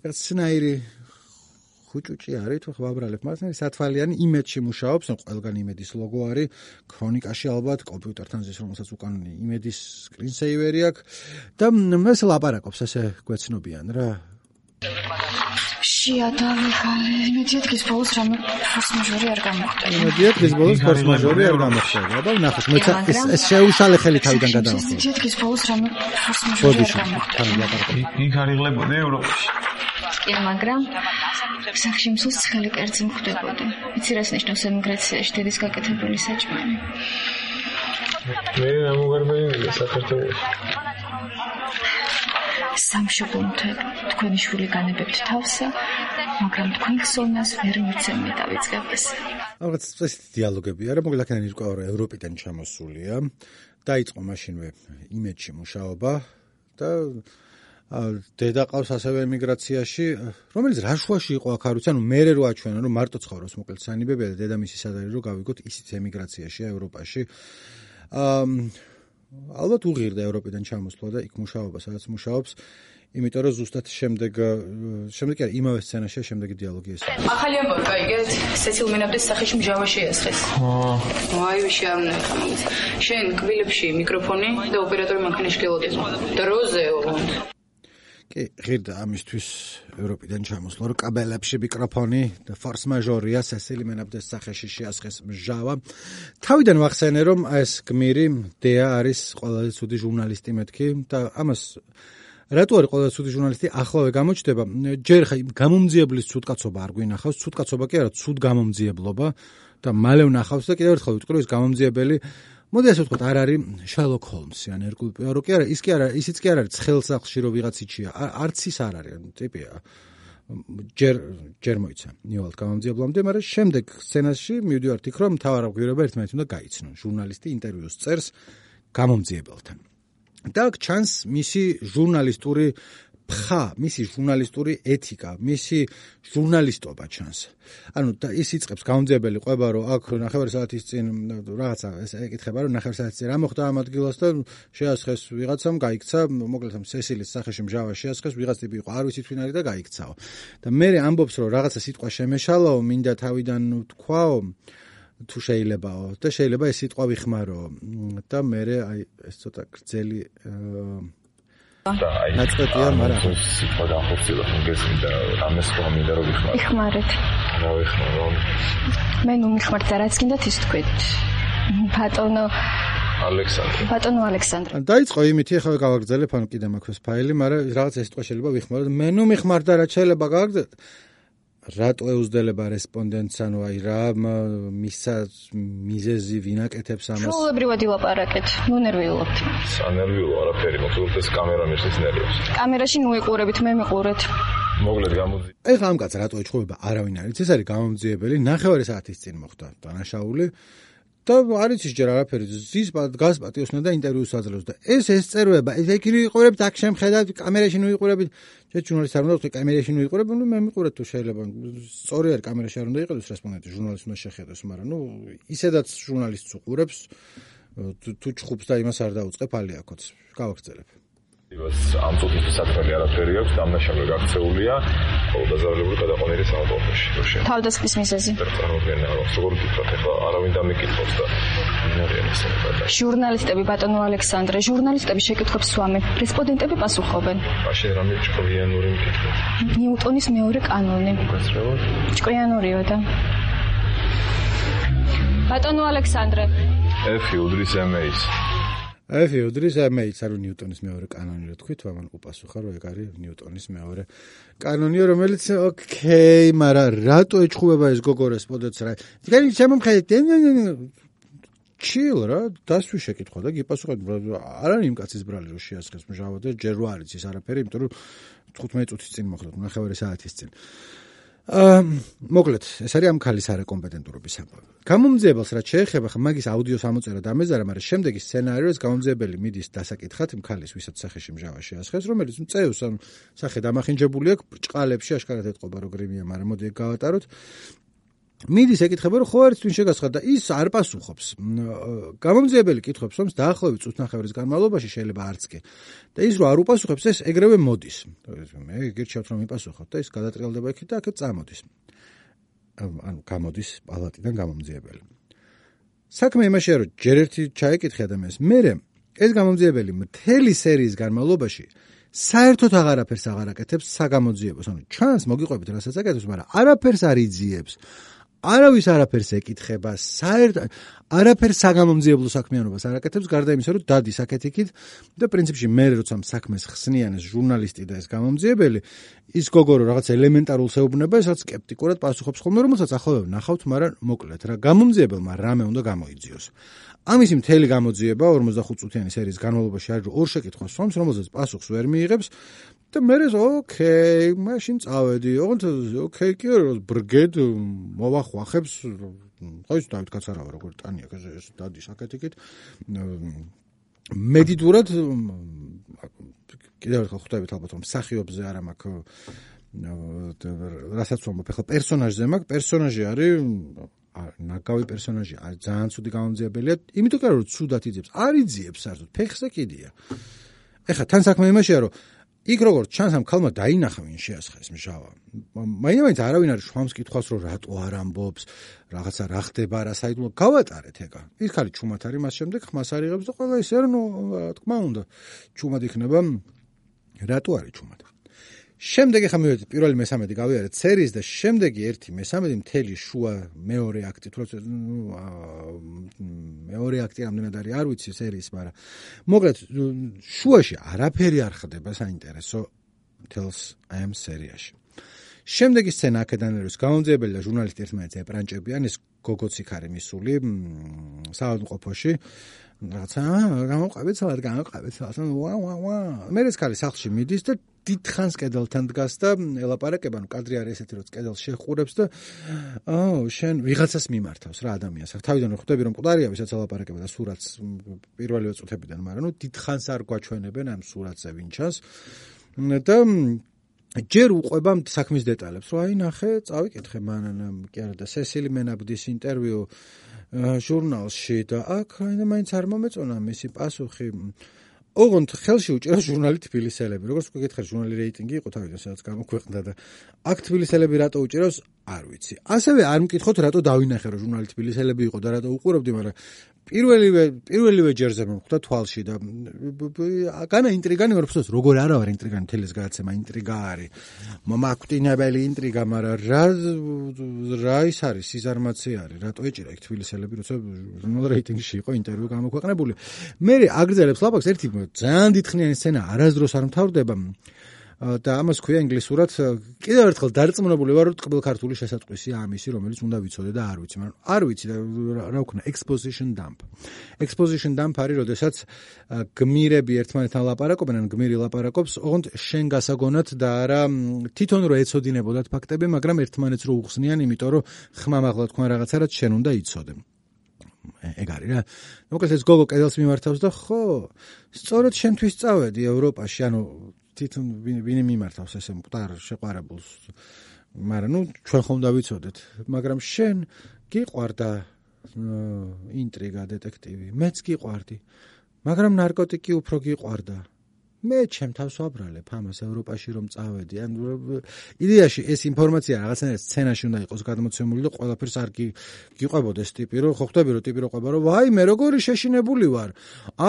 Speaker 1: სნაირი ხუჭუჭი არის, თუ ვაბრალებ, მაგრამ სათვალიანი იმედში მუშაობს, ყველგან იმედის ლოგო არის, ქრონიკაში ალბათ, კომპიუტერთან ზის, რომელსაც უკან იმედის სკრინსეივერი აქვს და ეს ლაპარაკობს, ასე გვეცნობიან რა.
Speaker 7: შეადავიღალე, იმედიათ გის ბოლოს რამე ფორს მაჟორი არ გამოხდა.
Speaker 1: იმედიათ გის ბოლოს ფორს მაჟორი არ გამოხდა. აბა ნახოთ, მეც ეს შეუშალე ხელი თავიდან გადავახტო.
Speaker 7: იმედიათ გის ბოლოს რამე ფორს მაჟორი არ გამოხდა.
Speaker 8: იქ არიღლებოდი ევროპაში.
Speaker 7: კი, მაგრამ სახში მსოს ცხელი კერძი მხვდებოდი. იცი რას ნიშნავს ემიგრაციაში დედის გაკეთებული საჭმელი?
Speaker 8: მე ამგვარია საქართველოში.
Speaker 7: სამშობლომთებ თქვენი შვილი განებებთ თავსა, მაგრამ თქვენ ხსოვნას ვერ მიცემი დავიწყებ ეს.
Speaker 1: ალბათ ეს დიალოგები არა, მოკლედ აქედან ირკვევა რომ ევროპიდან ჩამოსულია. დაიწყო მაშინვე იმედში მუშაობა და დედა ყავს ასევე ემიგრაციაში, რომელიც რაშუაში იყო აქ არ ვიცი, ანუ მე რო აჩვენა რომ მარტო ცხოვრობს მოკლედ სანიბებია და დედამისი სად არის რომ გავიგოთ ისიც ემიგრაციაშია ევროპაში. ალბათ უღირდა ევროპიდან ჩამოსვლა და იქ მუშაობა, სადაც მუშაობს, იმიტომ რომ ზუსტად შემდეგ კი არა, იმავე სცენაშია შემდეგი დიალოგი ეს.
Speaker 6: ახალი ამბავი გაიგეთ? სეცილ მენაბდეს სახეში მჟავა შეესხეს. აი ვიში არ უნდა ხამის. შენ კბილებში მიკროფონი და ოპერატორი მანქანაში გელოდეზო. დროზეო.
Speaker 1: კი, ღირდა ამისთვის ევროპიდან ჩამოსვლა, რომ კაბელებში მიკროფონი და ფორს მაჟორია სესილი მენაბდეს სახეში შეასხეს მჟავა. თავიდან ვახსენე, რომ ეს გმირი დეა არის ყველაზე ცუდი ჟურნალისტი მეთქი და ამას რატო არის ყველაზე ცუდი ჟურნალისტი ახლავე გამოჩნდება? ჯერ ხა გამომძიებლის ცუდკაცობა არ გვინახავს, ცუდკაცობა კი არა, ცუდ გამომძიებლობა და მალე ვნახავს და კიდევ ერთხელ ვიტყვი, რომ ეს გამომძიებელი მოდი ასე ვთქვათ, არ არის შერლოკ ჰოლმსი ან ერკულ პუარო კი არა, ისიც კი არ არის ცხელ სახლში რო ვიღაც იჩია, არც ის არ არის, ტიპია. ჯერ მოიცა ნივალთ გამომძიებლამდე, მაგრამ შემდეგ სცენაში მივდივართ იქ, რომ მთავარგვირება ერთმანეთს უნდა გაიცნონ. ჟურნალისტი ინტერვიუს წერს გამომძიებელთან. და აქ ჩანს მისი ჟურნალისტური ფხა, მისი ჟურნალისტური ეთიკა, მისი ჟურნალისტობა ჩანს. ანუ და ის იწყებს გამომძიებელი ყვება, რომ აქ ნახევარი საათის წინ რაღაცა ეს ეკითხება, რომ ნახევარი საათის წინ რა მოხდა ამ ადგილას და შეასხეს ვიღაცამ, გაიქცა, მოკლედ სესილის სახეში მჟავა შეასხეს, ვიღაც ტიპი იყო, არ ვიცი თვინ არის და გაიქცაო. და მე ამბობს, რომ რაღაცა სიტყვა შემეშალაო, მინდა თავიდან თქვაო, თუ შეიძლებაო და შეიძლება ეს სიტყვა ვიხმარო და მე აი ეს ცოტა გრძელი ნაწყვეტია, მაგრამ
Speaker 8: სიტყვა განხორციელდა გესმის და ამას ხომინდა რომ ვიხმარო.
Speaker 7: იხმარეთ.
Speaker 8: რა ვიხმარო?
Speaker 7: მე ნუ მიხმართ და რაც გინდათ ის თქვით. ბატონო ალექსანდრე.
Speaker 1: დაიწყო იმითი, ახლა გავაგრძელებ, ანუ კიდე მაქვს ფაილი, მაგრამ რაღაც ეს სიტყვა შეიძლება ვიხმარო. მე ნუ მიხმართ და რაც შეიძლება გავაგრძელებ. რატო ეუზდელება რესპონდენტს, ანუ აი რა მისა მიზეზი ვინაკეთებს ამას?
Speaker 7: სრულებრივად ილაპარაკეთ, ნუ ნერვიულობთ.
Speaker 8: სანერვიულო არაფერი, მოკლედ ეს კამერა მისთვის ნერვიულობს.
Speaker 7: კამერაში ნუ იყურებით, მე მიყურეთ.
Speaker 8: მოკლედ გამოძი.
Speaker 1: ეხლა ამ კაცს რატო ეჩხუბება, არავინ არ იცის, ეს არის გამომძიებელი, ნახევარი საათის წინ მოხდა დანაშაული. და არ იცის ჯერ არაფერი, ზის გას პატიოსნა და ინტერვიუს აძლევს და ეს წეროება, ეგ ვიყურებთ, აქ შემხედავთ, კამერაში ნუ ვიყურებით. ჯერ ჟურნალისტს არ უნდა ვთქვი, კამერაში ნუ ვიყურებ, ნუ მე მიყურეთ თუ შეიძლება. სწორი არის, კამერაში არ უნდა იყიდოს რესპონდენტი, ჟურნალისტს უნდა შეხედოს, მაგრამ ნუ ისედაც ჟურნალისტს უყურებს, თუ ჩხუბს და იმას არ დაუწყებ, ალიაკოც. გავაგრძელებ.
Speaker 8: ამ წუთის საქმე არაფერი აქვს, დამნაშავე გაქცეულია, ყოველდღიურად გადაყვანილი სამყაროში.
Speaker 7: თავდასხმის მიზეზი.
Speaker 8: წარმოგვიდგენია, როგორ ვთქვათ, ახლა არავინ დამიკითხავს და
Speaker 7: ჟურნალისტები, ბატონო ალექსანდრე, ჟურნალისტები შეკითხვებს სვამენ, რესპონდენტები პასუხობენ.
Speaker 8: მაშინ რამე ჭკვიანური მკითხვა.
Speaker 7: ნიუტონის მეორე კანონი. ჭკვიანურიო და. ბატონო ალექსანდრე.
Speaker 8: F უდრის MA-ს.
Speaker 1: F უდრის MA-ს არის ნიუტონის მეორე კანონი, რა თქვით, ამან უპასუხა, რომ ეგ არის ნიუტონის მეორე კანონი, რომელიც ოკეი, მაგრამ რატო ეჩხუბება ეს გოგო რესპონდენტს რა? თქვენ შემომხედეთ, ჩილ რა, დასვი შეკითხვა და გიპასუხეთ, არ არის იმ კაცის ბრალი, რომ შეასხეს მჟავა და ჯერ რო არის ის არაფერი, იმიტომ რომ 15 წუთის წინ მოხდა, ნახევარი საათის წინ. მოკლედ, ეს არის ამ ქალის არაკომპეტენტურობის საბაბი. გამომძიებელს რაც შეეხება, ხა მაგის აუდიო სამოწერა დამეზარა, მაგრამ შემდეგი სცენარიოს გამომძიებელი მიდის დასაკითხად იმ ქალის, ვისაც სახეში მჟავა შეასხეს, რომელიც წევს ან სახე დამახინჯებული აქვს, ბრჭყალებში აშკარად ეთყობა რომ გრიმია, მაგრამ მოდი ეგ გავატაროთ. მიდის ეკითხება რომ ხო არის twin შეგასხა და ის არ პასუხობს. გამომძიებელი კითხობს რომ დაახლოებით წუთნახევრის განმავლობაში შეიძლება არც კი. და ის რომ არ უპასუხებს, ეს ეგრევე მოდის. მე გირჩევთ რომ იპასუხოთ და ის გადატრიალდება იქით და აქეთ წამოდის. ანუ გამოდის პალატიდან გამომძიებელი. საქმე იმაშია რომ ჯერ ერთი ჩაეკითხე ადამიანს, მერე ეს გამომძიებელი მთელი სერიის განმავლობაში საერთოდ აღარაფერს აღარ აკეთებს საგამოძიებოს. ანუ ჩანს მოგიყვებით რასაც აკეთებს, მაგრამ არაფერს არ იძიებს. არავის არაფერს ეკითხება, საერთოდ არაფერს საგამომძიებლო საქმიანობას არ აკეთებს, გარდა იმისა, რომ დადის აქეთ-იქით და პრინციპში მე როცა საქმეს ხსნიან ეს ჟურნალისტი და ეს გამომძიებელი, ის გოგო რომ რაღაც ელემენტარულს ეუბნება, ესაც სკეპტიკურად პასუხობს ხოლმე, რომელსაც ახლა ვნახავთ, მაგრამ მოკლედ რა გამომძიებელმა რამე უნდა გამოიძიოს. ამისი მთელი გამოძიება 45 წუთიანი სერიის განმავლობაში არის ორ შეკითხვას სვამს, რომელზეც პასუხს ვერ მიიღებს და მერე ოკეი, მაშინ წავედი. ოღონდ ოკეი კი არა, ბრგედ მოვახვახებს, ყავს დავით კაცარავა როგორ ტანია ეს დადის აქეთ-იქით. მედიტურად კიდევ ერთხელ ხვდებით ალბათ რომ მსახიობზე არა მაქვს რასაც ვამბობ, ახლა პერსონაჟზე მაქვს, პერსონაჟი არის ნაკავი პერსონაჟი, არის ძალიან ცუდი გამომძიებელია, იმიტომ რომ ცუდად იძიებს, არ იძიებს საერთოდ, ფეხზე კიდია. ეხლა თან საქმე იმაშია, რომ იქ როგორც ჩანს ამ ქალმა დაინახა ვინ შეასხეს მჟავა. მაინც არავინ არ შვამს კითხვას, რომ რატო არ ამბობს, რაღაცა რა ხდება, რა საიდუმლო გავატარეთ ეგა. ის ხალი ჩუმად არის, მას შემდეგ ხმას არ იღებს და ყველა ისე რა თქმა უნდა, ჩუმად იქნება. რატო არის ჩუმად? შემდეგი ხა მივედით პირველი მესამედი გავიარეთ სერიის და შემდეგი ერთი მესამედი მთელი შუა მეორე აქტი, თუმცა მეორე აქტი რამდენად არის არ ვიცი სერიის, მაგრამ მოკლედ შუაში არაფერი არ ხდება საინტერესო მთელს ამ სერიაში. შემდეგი სცენა აქედან არის გამომძიებელი და ჟურნალისტი ერთმანეთს ეპრანჭებიან, ეს გოგოც იქ არის მისული საავადმყოფოში. რაღაცა გამოყვებით საათ მე ეს ქალი სახლში მიდის და დიდხანს კედელთან დგას და ელაპარაკება, ანუ კადრი არის ესეთი, რომ კედელს შეხურებს და შენ ვიღაცას მიმართავს რა ადამიანს. თავიდან ხვდები რომ მკვდარია, ვისაც ელაპარაკება და სურათს პირველივე წუთებიდან, მაგრამ დიდხანს არ გვაჩვენებენ ამ სურათზე ვინ ჩანს და ჯერ უყვება საქმის დეტალებს, რომ აი ნახე, წავიკითხე მანამ კი არა და სესილი მენაბდის ინტერვიუ ჟურნალში და აქ მაინც არ მომეწონა მისი პასუხი. ოღონდ ხელში უჭერა ჟურნალი თბილისელები. როგორც გეკითხეთ, ჟურნალი რეიტინგი იყო თავიდან, სადაც გამოქვეყნდა და აქ თბილისელები რატო უჭერავს, არ ვიცი. ასევე არ მკითხოთ, რატო დავინახე, რომ ჟურნალი თბილისელები იყო და რატო უყურებდი, მაგრამ პირველივე ჯერზე მომხვდა თვალში და განა ინტრიგანი ვარ ფსოს, როგორ არა ვარ ინტრიგანი, თელეს გააცემა ინტრიგა არის. მომაკვდინებელი ინტრიგა, მაგრამ რა ის არის, სიზარმაცე არის, რატო ეჭირა იქ თბილისელები, როცა ჟურნალ რეიტინგში იყო ინტერვიუ გამოქვეყნებული. მე აგრძელებს ლაპარაკს ერთი ძალიან დიდხნიანი სცენა არასდროს არ მთავრდება და ამას ქვია ინგლისურად კიდევ ერთხელ დარწმუნებული ვარ რომ ტყბილ ქართული შესატყვისია ამისი რომელიც უნდა ვიცოდე და არ ვიცი მაგრამ არ ვიცი რა ვქნა exposition dump არის როდესაც გმირები ერთმანეთთან ლაპარაკობენ ან გმირი ლაპარაკობს ოღონდ შენ გასაგონად და არა თვითონ რო ეცოდინებოდათ ფაქტები მაგრამ ერთმანეთს რო უხსნიან იმიტომ რომ ხმამაღლა თქვენ რაღაცა რაც შენ უნდა იცოდე ეგ არის რა მოკლედ ეს გოგო კედელს მიმართავს და ხო სწორედ შენთვის წავედი ევროპაში ანუ თვითონ ვინი მიმართავს ესე მკვდარ შეყვარებულს მაგრამ ჩვენ ხომ დავიცოდეთ მაგრამ შენ გიყვარდა ინტრიგა დეტექტივი მეც გიყვარდი მაგრამ ნარკოტიკი უფრო გიყვარდა მე ჩემთავს ვაბრალებ ამას ევროპაში რომ წავედი ან იდეაში ეს ინფორმაცია რაღაცნაირად სცენაში უნდა იყოს გადმოცემული და ყველაფერს არ გიყვებოდეს ტიპი რომ ხო ხვდები რომ ტიპი რო ყვება რომ ვაი მე როგორი შეშინებული ვარ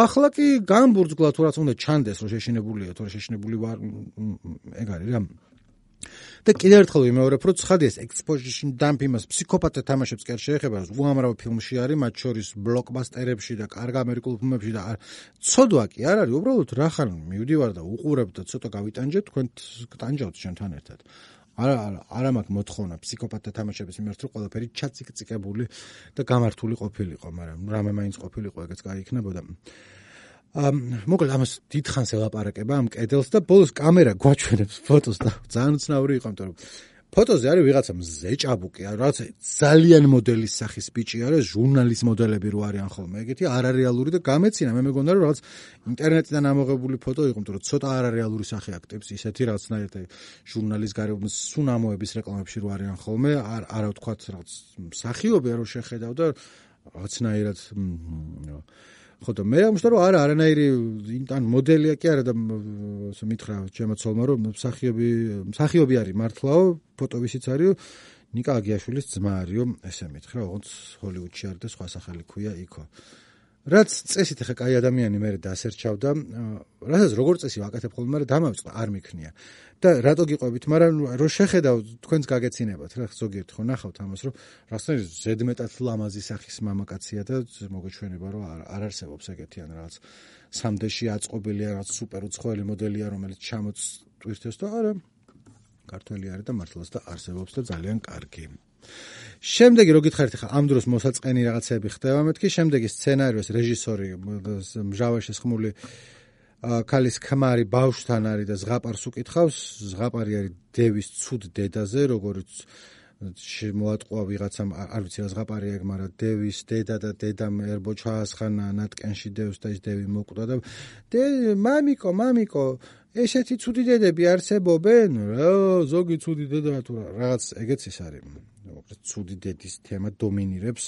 Speaker 1: ახლა კი გამბურძგლა თუ რაც უნდა ჩანდეს რომ შეშინებულია თუ რა შეშინებული ვარ ეგ არის რა და კიდევ ერთხელ ვიმეორებ რომ ცხადია ეს exposition dump იმას ფსიქოპატთა თამაშებს კი არ შეეხება უამრავ ფილმში არის მათ შორის ბლოკბასტერებში და კარგ ამერიკულ ფილმებში და ცოდვა კი არ არის უბრალოდ რახან მივდივარ და უყურებ და ცოტა გავიტანჯებ თქვენ გტანჯავთ შენთან ერთად არა მაქვს მოთხოვნა ფსიქოპატთა თამაშების მიმართ რომ ყველაფერი ჩაციკწიკებული და გამართული ყოფილიყო მაგრამ რამე მაინც ყოფილიყო ეგეც კაი იქნებოდა მოკლედ ამას დიდხანს ელაპარაკება ამ კედელს და ბოლოს კამერა გვაჩვენებს ფოტოს და ძალიან უცნაური იყო იმიტომ რომ ფოტოზე არის ვიღაცა მზე ჭაბუკი, რაღაც ძალიან მოდელის სახის ბიჭი არის, ჟურნალის მოდელები რო არიან ხოლმე, ეგეთი არარეალური და გამეცინა, მე მეგონა რომ რაღაც ინტერნეტიდან ამოღებული ფოტო იყო, იმიტომ რომ ცოტა არარეალური სახე აქტებს, ისეთი რაღაცნაირად ჟურნალის გარეთ სუნამოების რეკლამებში რო არიან ხოლმე, არა ვთქვათ რაღაც მსახიობია რო შეხედავ და რაღაცნაირად ხო და მე ამბობ რომ არანაირი ან მოდელია კი არა და მითხრა ჩემო ცოლმა რომ მსახიობი არის მართლაო ფოტო ვისიც არის ნიკა აგიაშვილის ძმა არისო ესე მითხრა ოღონდ ჰოლივუდში არის და სხვა სახელი ქვია იქო რაც წესით ხა კაი ადამიანი მე დასერჩავდა რასაც როგორ წესი ვაკეთებ ხოლმე მაგრამ დამავიწყდა არ მიქნია და რატო გიყვებით მაგრამ რო შეხედავ თქვენს გაგეცინებათ რა ზოგიერთ ხო ნახავთ ამას რომ რაღაცნაირად ზედმეტად ლამაზი სახის მამაკაცია და მოგეჩვენება რომ არ არსებობს ეგეთიან რაღაც სამდეში აწყობილია რაღაც სუპერ უცხოელი მოდელია რომელიც ჩამოწვირთეს და არა ქართველი არის და მართლაც და არსებობს და ძალიან კარგი შემდეგი რო გითხარით ხა ამ დროს მოსაწყენი რაღაცები ხდება მეთქი შემდეგი სცენარიოს რეჟისორი მჟავაში ხმული ქალის ქმარი ბავშვთან არის და ზღაპარს უკითხავს ზღაპარი არის დევის ცუდ დედაზე როგორც მოატყვა ვიღაცამ არ ვიცი რა ზღაპარია ეგ მაგრამ დევის დედა და დედამ ერბო ჩაასხანა ნატკენში დევს და ის დევი მოკვდა და მამიკო ესეთი ცუდი დედები არსებობენ რა ზოგი ცუდი დედა თუ რაღაც ეგეც ის არის ცუდი დედის თემა დომინირებს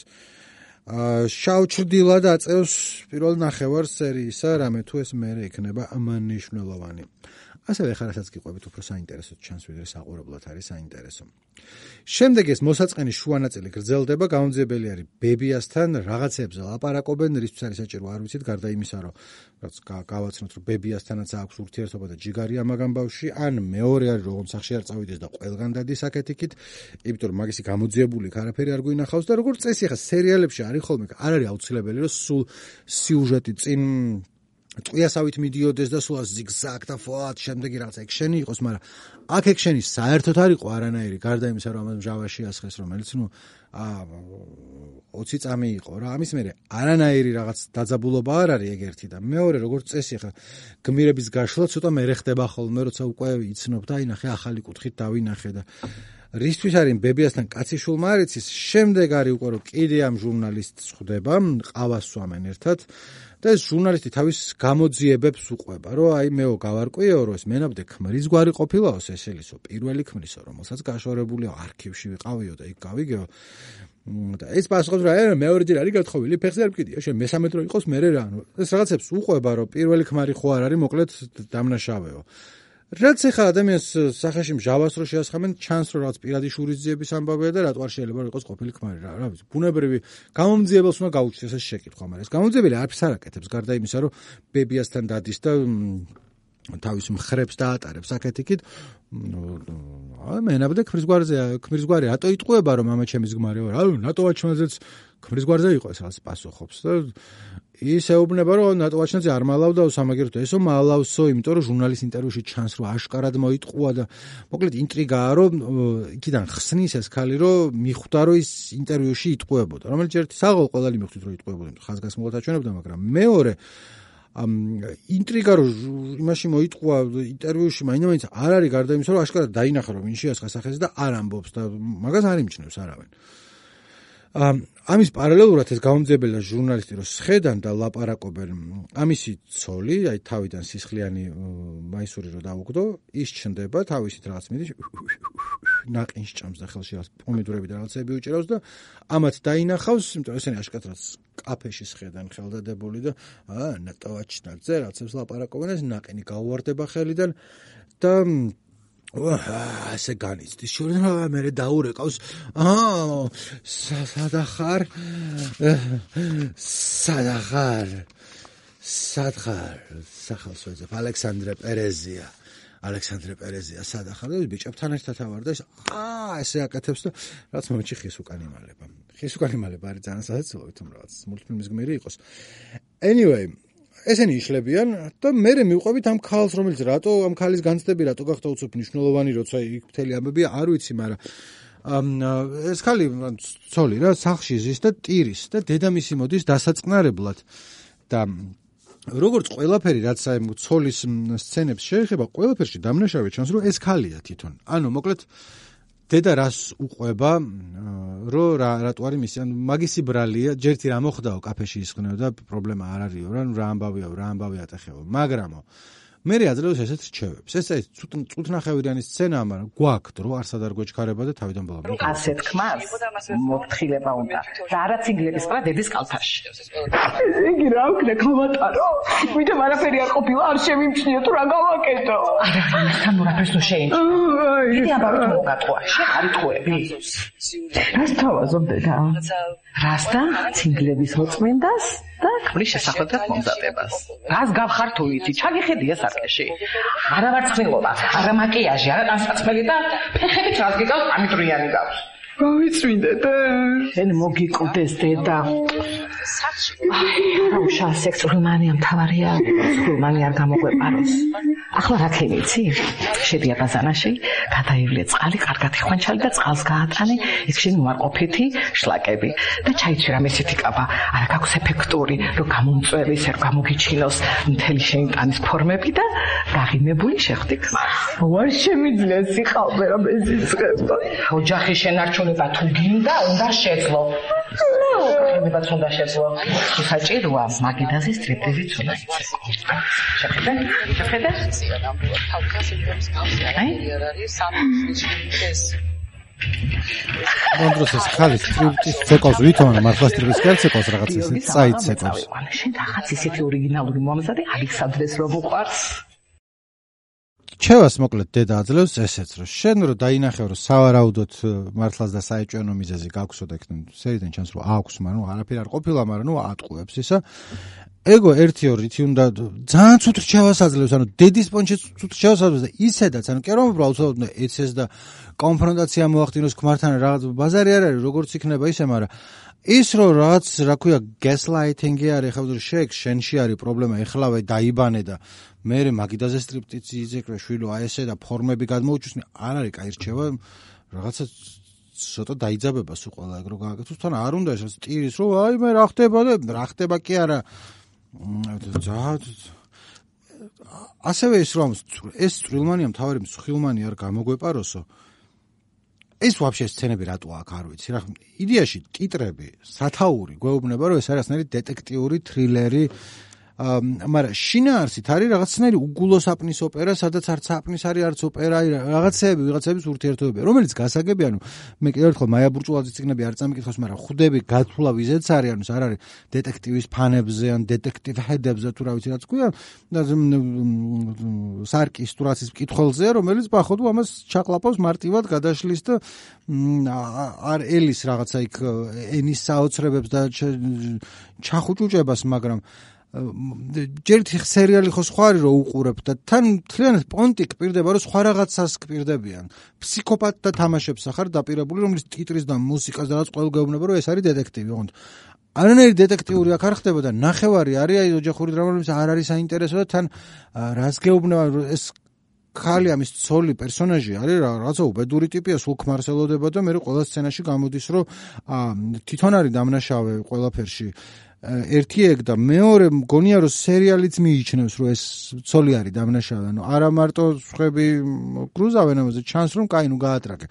Speaker 1: შავჩრდილად აწევს პირველ ნახევარ სერიისა რამე თუ ეს მერე იქნება მნიშვნელოვანი ასევე ხა რასაც გიყვებით უფრო საინტერესო ჩანს ვიდრე საყურებლად არის საინტერესო შემდეგ ეს მოსაწყენის შუა ნაწილი გრძელდება გამომძიებელი არის ბებიასთან რაღაცებზე ლაპარაკობენ რისთვის არის საჭირო არ ვიცით გარდა იმისა რომ რაც გავაცნოთ რომ ბებიასთანაც აქვს ურთიერთობა და ჯიგარია მაგამ ბავშვი ან მეორე არის რომ სახში არ წავიდეს და ყველგან დადის აკეთიკით იმიტომ რომ მაგისი გამოძიებული არაფერი არ გვინახავს და როგორც წესი ხა სერიალებში არის ხოლმე არ არის აუცილებელი რომ სულ სიუჟეტი წინ ტყვიასავით მიდიოდეს და სულ ზიგზაგ და ფოად შემდეგი რაღაც ექშენი იყოს, მაგრამ აქ ექშენი საერთოდ არ იყო არანაირი, გარდა იმისა, რომ ამას მჟავაში ასხეს, რომელიც 20 წამი იყო რა. ამის მერე არანაირი რაღაც დაძაბულობა არ არის ეგ ერთი და მეორე როგორც წესი ხა გმირების გაშლა ცოტა მერე ხდება ხოლმე, როცა უკვე იცნობ და აი ნახე ახალი კუთხით დავინახე და რისთვის არის ბებიასთან კაცი შულმა არ იცის, შემდეგ არის უკვე რომ კიდე ამ ჟურნალისტს ხვდება, ყავას სვამენ ერთად და ეს ჟურნალისტი თავის გამოძიებებს უყვება, რომ აი მეო გავარკვიეო, რომ ეს მენაბდე ქმრის გვარი ყოფილაო სესილისო, პირველი ქმრისო, რომელსაც გაშორებულია არქივში ვიყავიო და იქ გავიგეო. და ეს პასუხობს რა, მეორეჯერ არის გათხოვილი, ფეხზე არ მკიდია, შენ მესამედ რო იყოს მერე რა, ეს რაღაცებს უყვება, რომ პირველი ქმარი ხო არ არის, მოკლედ დამნაშავეო. რაც ახლა ადამიანს სახეში მჟავას რო შეასხამენ, ჩანს რომ რაღაც პირადი შურისძიების ამბავია და რატო არ შეიძლება რომ იყოს ყოფილი ქმარი რა ვიცი, ბუნებრივი გამომძიებელს უნდა გაუჩნდეს ეს შეკითხვა, მაგრამ ეს გამომძიებელი არაფერს არ აკეთებს, გარდა იმისა, რომ ბებიასთან დადის და თავის მხრებს დაატარებს აკეთიკით. მენაბდე ქმრის გვარი რატო იტყუება რომ მამა ჩემის გმარეო რა, ნატო ვაჩმაძეც ქმრის გვარზე იყო ეს რაღაც პასუხობს და ის ეუბნება რომ ნატო ვაჩმაძე არ მალავდაო სამაგერტო ესო მალავსო, იმიტომ რომ ჟურნალის ინტერვიუში ჩანს რომ აშკარად მოიტყუა და მოკლედ ინტრიგაა რომ იქიდან ხსნის ეს ქალი რომ მიხვდა რომ ის ინტერვიუში იტყუებოდა, რომელიც ერთი საღოლ ყველანი მიხვდით რომ იტყუებოდა, ხაზგასმულად აჩვენებდა, მაგრამ მეორე ინტრიგა რომ იმაში მოიტყუა ინტერვიუში მაინც არ არის გარდა იმისა რომ აშკარად დაინახა რომ ვინ შეასხა სახეზე და არ ამბობს და მაგას არ იმჩნევს არავინ. ამის პარალელურად ეს გამომძიებელი და ჟურნალისტი რომ სხედან და ლაპარაკობენ ამისი ცოლი, აი თავიდან სისხლიანი მაისური რო დაუგდო, ის ჩნდება თავისით რაღაც მიდის ნაყინს ჭამს და ხელში რაღაც პომიდორები და რაღაცები უჭირავს და ამათ დაინახავს, იმიტომ რომ ესენი აშკარად კაფეში სხედან ხელდადებული და ნატოვაჩნაძე რაღაცებს ლაპარაკობენ, ეს ნაყინი გაუვარდება ხელიდან და ასე განიცდის შორენ მე დაურეკავს სადახარ სახელს ვეძებ ალექსანდრე პერეზია სადახარ და ბიჭებთან ერთად ავარ და ესე აკეთებს და რაც მომენტში ხის უკან იმალება არის ძალიან სასაცილო თუმ რაღაც მულტფილმის გმირი იყოს anyway ესენი იშლებიან და მე მივყვებით ამ ქალს, რომელიც რატო ამ ქალის განცდები რატო გახდა უცებ მნიშვნელოვანი, როცა იქ მთელი ამბები არ ვიცი, მაგრამ ეს ქალი ცოლი რა სახლში ზის და ტირის და დედამისი მოდის დასაწყნარებლად და როგორც ყველაფერი რაც აი ცოლის სცენებს შეეხება, ყველაფერში დამნაშავე ჩანს, რომ ეს ქალია თვითონ. ანუ მოკლედ დედა რას უყვება რომ რატო არის მისი ან მაგისი ბრალია ჯერთი რა მოხდაო კაფეში ისხნეო და პრობლემა არ არისო რა ამბავი ატეხეო მაგრამო მე აძლევს ესეთ რჩევებს ეს წუთნახევრიანი სცენაა მაგრამ გვაქვს რომ არსად არ გვეჩქარება და თავიდან ბოლომდე
Speaker 3: ასეთ ხმას მოფრთხილება უნდა და არა ციგლების ყრა დედის კალთაში იგი რა ვქნა გავატარო ვიდრე არაფერი არ ყოფილა არ შემიმჩნია თუ რა გავაკეთო არა თან რაფერს თუ შეიმჩნია იგი აბაროთ მოგატყვა შეყარიტყუები რას თავაზობ დედა რასთან ციგლების მოწმენდას და ქმრის შესახვედრად მომზადებას რას გავხარ თუ იცი ჩაგიხედია სარკეში არა ვარცხნილობა არა მაკიაჟი არა ტანსაცმელი და ფეხებით რას გიგავს ამიტრიანი გავს გავიწვიდე და შენ მოგიკვდეს დედა რა სექსუალმანია მთავარია სექსუალმანი არ გამოგვეპაროს ახლა რა ქენიცი შედია ბაზანაში გადაივლე წყალი კარგად იხვანჩალი და წყალს გაატანე ის შენ უარყოფითი შლაკები და ჩაიცვი რამე ისეთი კაბა არა გაქვს ეფექტური რომ გამომწვევის არ გამოგიჩინოს მთელი შენი ტანის ფორმები და გაღიმებული შეხვდი ქმარს ვარ შემიძლია სიყალბე რომ ეს იწყება ოჯახი შენარჩუნება თუ გინდა უნდა შეძლო ხემებაც უნდა შეძლო საჭიროა მაგიდაზე სტრიპტიზიც უნდა იცექო შეხედე
Speaker 1: მონდროსის ხალის სტრიპტიზ ცეკოს ვითომ მართლა სტრიპტიზ კერცეკოს რაღაც ისე წაიცეკოს
Speaker 3: შენ რაღაც ისეთი ორიგინალური მომზადი ალექსანდრეს რო უყარს
Speaker 1: ჩევას მოკლედ დედა აძლევს ესეც რომ შენ რო დაინახე რომ სავარაუდოდ მართლაც და საეჭვენო მიზეზი გაქვსო და იქნებ სერიდან ჩანს რომ აქვს მაგრამ არაფერი არ ყოფილა მაგრამ ნუ ატყუებს ისა ეგო 1-2 უნდა ძალიან ცუდ რჩევას აძლევს ანუ დედის პონჩი ცუდ რჩევას აძლევს და ისედაც ანუ კერო უბრალოდ ეცეს და კონფრონტაცია მოახდინოს ქმართან რაღაც ბაზარი არ არის როგორც იქნება ისე მაგრამ ის რომ რაღაც რა ქვია გასლაითინგი არის ხა შენში არის პრობლემა ეხლავე დაიბანე და მე მაგიდაზე სტრიპტიზი იზეკრე შვილო აი ესე და ფორმები გადმოუჩვისნი არ არის კაი რჩევა რაღაცა ცოტა დაიძაბებას უყვალა ეგ რო გააკეთოს თან არ უნდა ეს ტირის რომ აი მე რა ხდება და რა ხდება კი არა ასევე ის რომ ეს წვრილმანია მთავარი მსხვილმანი არ გამოგვეპაროსო ეს ვაფშე სცენები რატო აქ არ ვიცი რა იდეაში ტიტრები სათაური გვეუბნება რომ ეს არის ნერი დეტექტიური თრილერი მაგრამ შინაარსით არის რაღაცნაირი უგულო საპნის ოპერა, სადაც არც საპნის არის, არც ოპერა, ვიღაცების ურთიერთობები, რომელიც გასაგები, ანუ მე კიდევ ერთხელ მაია ბურჭულაძის წიგნები არ წამიკითხავს, მაგრამ ხუდები გათვლა ვიზეც არის, ანუ არ არის დეტექტივის ფანებზე ან დეტექტივ ჰედებზე თუ რა ვიცი რაც ქვია, და სარკის თურაცის მკითხველზეა, რომელიც პახოდო ამას ჩაყლაპავს მარტივად გადაშლის და არ ელის რაღაცა იქ ენის საოცრებებს და ჩახუჭუჭებას, მაგრამ ჯერთ სერიალი ხო სხვა არის რომ უყურებ და თან მთლიანად პონტი კპირდება რომ სხვა რაღაცას კპირდებიან ფსიქოპატთა თამაშებს ახარ დაპირებული რომლის ტიტრის და მუსიკას და რაც ყოველ გეუბნება რომ ეს არის დეტექტივი ოღონდ არანაირი დეტექტიური აქ არ ხდება და ნახევარი არის აი ოჯახური დრამა რომელიც არ არის საინტერესო და თან რაც გეუბნება ეს ხალი ამის ცოლი პერსონაჟი არის რაღაცა უბედური ტიპია სულ ქმარსელოდება და მე ყველა სცენაში გამოდის რომ თვითონ არის დამნაშავე ყველაფერში ერთი ეგ და მეორე მგონია რომ სერიალიც მიიჩნევს რომ ეს ცოლი არის დამნაშავე ანუ არა მარტო სხვები კრუზავენ ამაზე ჩანს რომ კაი ნუ გაატრაკე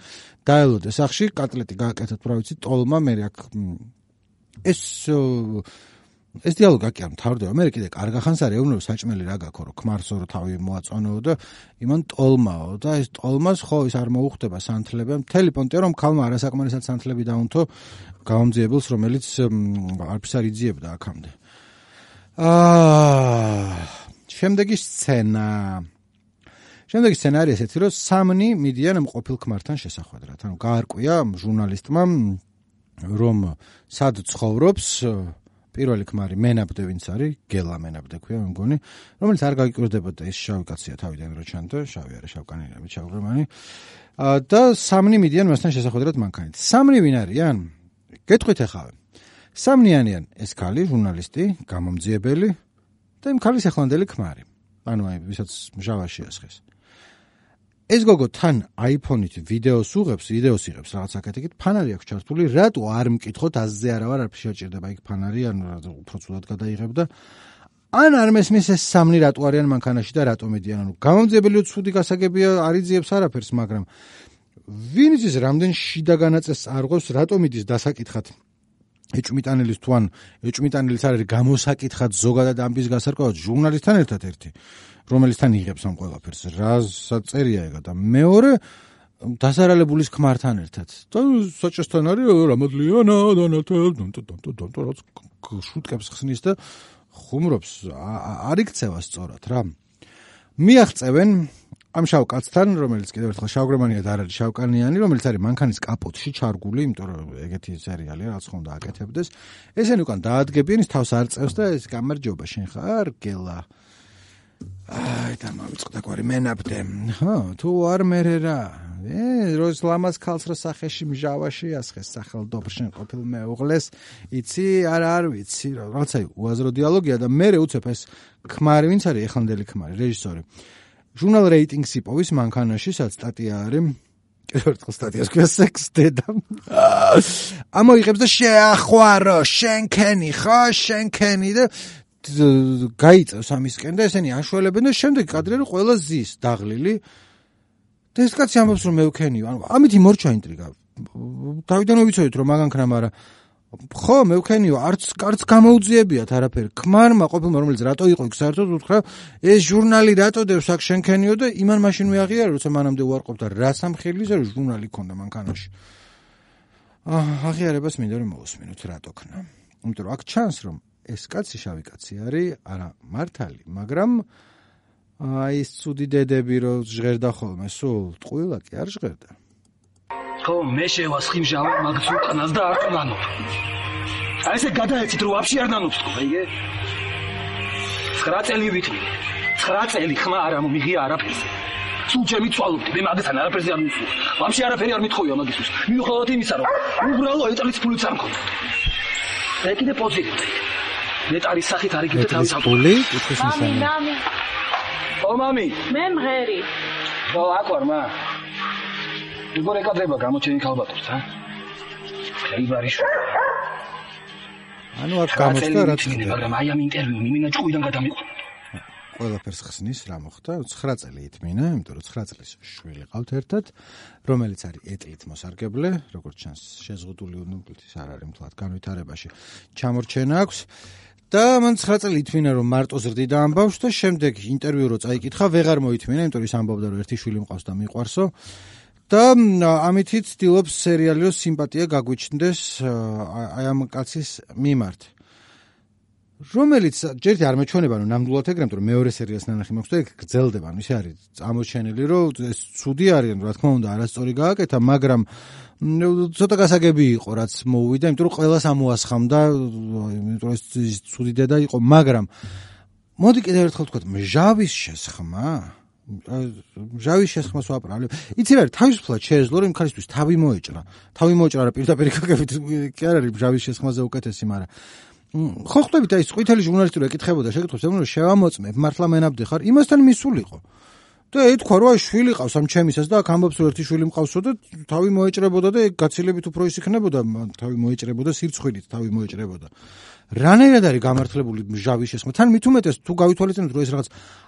Speaker 1: დაელოდე სახში კატლეტი გააკეთეთ რა ვიცი ტოლმა მე აქ ეს დიალოგი აქ არ მთავრდება მე კიდე კარგახანს არ ეუბნებ საჭმელი რა გაქო რომ ქმარსო რომ თავი მოაწონეო და იმან ტოლმაო და ეს ტოლმას ხო ის არ მოუხდება სანთლები მთელი პონტია რომ ქალმა არასაკმარისად სანთლები დაუნთო გამომძიებელს რომელიც არც არ იძიებდა აქამდე შემდეგი სცენა არის ესეთი რომ სამნი მიდიან მყოფილ ქმართან შესახვედრად ანუ გაარკვია ჟურნალისტმა რომ სად ცხოვრობს პირველი ქმარი მენაბდე ვინც არის გელა მენაბდე ქვია მე მგონი რომელიც არ გაგიკვირდებოდა ეს შავი კაცია თავიდან რო ჩანდა შავი არა შავკანიანი შავღრმანი და სამნი მიდიან მასთან შესახვედრად მანქანით სამნი ვინ არიან გეტყვით ახლა სამნი არიან ეს ქალი ჟურნალისტი გამომძიებელი და იმ ქალის ახლანდელი ქმარი ანუ აი ვისაც მჟავაში ასხეს ეს გოგო თან აიფონით ვიდეოს იღებს რაღაც აკეთებით ფანარი აქვს ჩართული რატო არ მკითხოთ აზზე არა ვარ არ შეჭირდება იქ ფანარი ანუ უფრო ცუდად გადაიღებ და ან არ მესმის ეს სამნი რატო არიან მანქანაში და რატო მედიან ანუ გამომძიებელია ცუდი გასაგებია არიძიებს არაფერს მაგრამ ვინ იცის რამდენ შიდა განაწესს არღვევს რატომ იდის დასაკითხად ეჭვმიტანილის თუ ან ეჭვმიტანილის არ არის გამოსაკითხად ზოგადად ამბის გასარკვევად ჟურნალისტთან ერთად ერთი რომელიც თან იღებს ამ ყველაფერს რასაც წერია ეგა და მეორე დასარალებულის ქმართან ერთად და საჭესთან არის რამოდლიანა დანათელ შუტკებს ხსნის და ხუმრობს არ იქცევა სწორად რა მიაღწევენ ამ შავ კაცთან რომელიც კიდევ ერთხელ შავგრემანიად არ არის შავკანიანი რომელიც არის მანქანის კაპოტში ჩარგული იმიტომ რომ ეგეთი სერიალია რაც ხომ დააკეთებდეს ესენი უკან დაადგებიან ის თავს არ წევს და ეს გამარჯობა შენ ხარ გელა აი და მოვიწყდა კვარი მენაბდე ხო თუ არ მერე რა როის ლამაზ ქალს რა სახეში მჟავაში ასხეს სახელდობრშენ ყოფილ მეუღლეს იცი არ ვიცი რაღაცა უაზრო დიალოგია და მე უცებ ეს ქმარი ვინც არის ეხანდელი ქმარი რეჟისორი ჟურნალ რეიტინგსი პოვის მანქანაში სადაც სტატია არის კიდევ ერთხელ სტატიას ქვია სექს დედა ამოიღებს და შეახვარო შენქენი ხო შენქენი და გაიწევს ამისკენ და ესენი აშველებენ და შემდეგ კადრები ყველა ზის დაღლილი და ეს კაცი ამბობს რომ მე ვქენიო ანუ ამითი მორჩა ინტრიგა თავიდანვე ვიცოდით რომ მაგანქნა მაგრამ ხო მე ვქენიო არც გამოუძიებიათ არაფერი ქმარმა ყოფილმა რომელიც რატო იყო იქ საერთოდ უთხრა ეს ჟურნალი რატო დევს აქ შენქენიო და იმან მაშინ მეაღიარა როცა მანამდე უარყოფდა რა სამხილის ჟურნალი ქონდა მანქანაში აღიარებას მინდა რომ მოვუსმინოთ რატო ქნა იმიტომ რომ აქ ჩანს რომ ეს კაცი შავი კაცი არის არა მართალი მაგრამ აი ეს ცუდი დედები რო ჟღერდა ხოლმე სულ ტყუილა კი არ ჟღერდა
Speaker 9: ხო მე შევასხიმჟავ მაგს უკანას და არ ყანო აი ესე გადაეცით რომ ვაფშე არ ნანობს თქო აიგე 9 წელი ვითმი 9 წელი ხმა არ მომიღია არაფერს სულ ჩემი წვალობდი მე მაგასთან არაფერზე არ მისულ ვაფშე არაფერი არ მithხოვია მაგისთვის მიუხედავად იმისა რომ უბრალო ეტლის ფულიც არ მქონდა და კიდე პოზიტივი ნეტარის სახით არ იგივე თავის
Speaker 1: აპოლი კითხვის ნշანი
Speaker 9: ო მამი
Speaker 4: მე მღერი
Speaker 9: ო აკორმა როგორ ეკადრება გამოჩენი ქალბატონს ა ხეიბარიშ
Speaker 1: ანუ აქ გამოსდა რა თქმა
Speaker 9: მაგრამ აი ამ ინტერვიუ მიმინა ჭუიდან გადამიყვა
Speaker 1: ყველაფერს ხსნის რა მოხდა 9 წელი ითმინა იმიტომ რომ 9 წლის შვილი ყავთ ერთად რომელიც არის ეტლით მოსარგებლე როგორც ჩანს შეზღუდული უნუკლითის არ არის მთლად განვითარებაში ჩამორჩენა აქვს და მან 9 წელი ითმინა რომ მარტო ზრდიდა ამ ბავშვს და შემდეგ ინტერვიუ რო წაიკითხა ვეღარ მოითმინა იმიტომ რომ ის ამბობდა რომ ერთი შვილი მყავს და მიყვარსო და ამითიც ცდილობს სერიალი რო სიმპათია გაგვიჩნდეს აი ამ კაცის მიმართ რომელიც ჯერჯერობით არ მეჩვენება რომ ნამდვილად ეგრე იმიტომ რომ მეორე სერიალს ნანახი მაქვს და ეგ გრძელდება ანუ ისე არის ამოჩენილი რომ ეს ცუდი არიან რა თქმა უნდა არასწორი გააკეთა მაგრამ ცოტა გასაგები იყო რაც მოუვიდა იმიტომ რომ ყველას ამოასხამდა იმიტომ რომ ეს ცუდი დედა იყო მაგრამ მოდი კიდევ ერთხელ ვთქვათ მჟავის შესხმა მჟავის შესხმას ვაპრავლებ იცი რა თავისუფლად შეეძლო რომ იმ ქალისთვის თავი მოეჭრა რა პირდაპირ გაგებით კი არ არის მჟავის შესხმაზე უკეთესი მაგრამ ხო ხვდებით აი ყვითელი ჟურნალისტი რო ეკითხებოდა შეკითხებს რომ შევამოწმებ მართლა მენაბდე ხარ იმასთან მისულიყო და ეთქვა რომ აი შვილი ყავს ამ ჩემისას და აქ ამბობს რომ ერთი შვილი მყავსო და თავი მოეჭრებოდა და გაცილებით უფრო ის იქნებოდა თავი მოეჭრებოდა სირცხვით თავი მოეჭრებოდა რანაირად არის გამართლებული მჟავის შესხმა თან მით უმეტეს თუ გავითვალისწინოთ რომ ეს რაღაც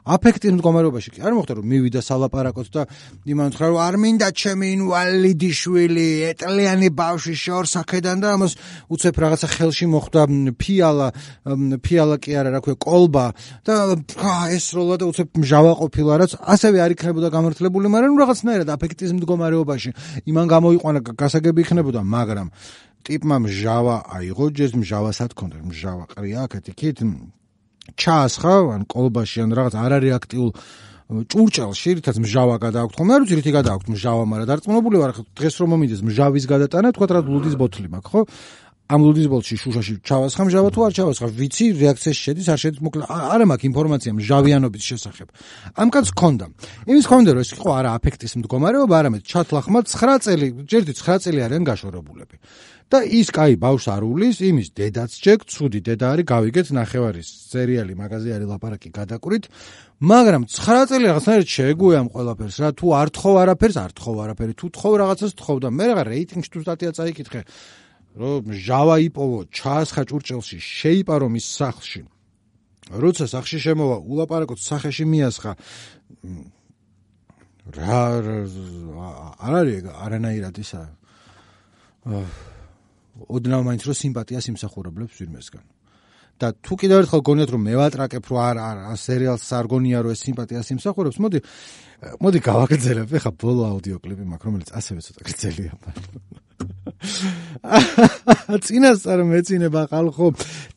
Speaker 1: აფექტის მდგომარეობაში კი არ მოხდა რომ მივიდა სალაპარაკოთ და იმან უთხრა რომ არ მინდა ჩემი ინვალიდი შვილი ეტლიანი ბავშვი შორს ახედან და ამას უცებ რაღაცა ხელში მოხდა ფიალა კი არა რა ქვია კოლბა და ესროლა და უცებ მჟავა ყოფილა რაც ასევე არ იქნებოდა გამართლებული მაგრამ რაღაცნაირად აფექტის მდგომარეობაში იმან გამოიყვანა გასაგები იქნებოდა მაგრამ ტიპმა მჟავა აიღო ჯერ მჟავასაც ქონდა მჟავა ყრია აქეთ იქით ჩაასხა ან კოლბაში ან რაღაც არარეაქტიულ ჭურჭელში რითაც მჟავა გადააქვთ ხოლმე არ ვიცი რითი გადააქვთ მჟავა მაგრამ დარწმუნებული ვარ დღეს რომ მომიდეს მჟავის გადატანა თქვა რა ლუდის ბოთლი მაქვს ხო ამ ლუდის ბოთლში შუშაში ჩავასხა მჟავა თუ არ ჩავასხა ვიცი რეაქციაში შედის არ შედის მოკლედ არა მაქვს ინფორმაცია მჟავიანობის შესახებ ამ კაცს ქონდა იმის ქონდა რომ ეს იყო არა აფექტის მდგომარეობა არამედ ჩათლახმა 9 წელი ჯერდი 9 წელი არიან გაშორებულები და ის კაი ბავშვს არ უვლის იმის დედაც ჯეკ ცუდი დედა არის გავიგეთ ნახევარის სერიალი მაგაზე არის ლაპარაკი გადაკვირით მაგრამ 9 წელი რაღაცნაირად შეეგუე ამ ყველაფერს რა თუ არ თხოვ არაფერი თუ თხოვ რაღაცას თხოვ და მე რა რეიტინგში თუ სტატია წაიკითხე რომ ჟავა იპოვო ჩაასხა ჭურჭელში შეიპარო მის სახლში როცა სახლში შემოვა ulaparakots სახეში მიასხა რა არ არის არანაირად ისა ოდნავ მაინც რომ სიმპათიას იმსახურებლებს ვირმესგან და თუ კიდევ ერთხელ გონიათ რომ მე ვატრაკებ რომ არა სერიალს არ გონია რომ ეს სიმპათიას იმსახურებს მოდი გავაგრძელებ ეხა ბოლო აუდიო კლიპი მაქვს რომელიც ასევე ცოტა გრძელია წინასწარ მეწინება ხალხო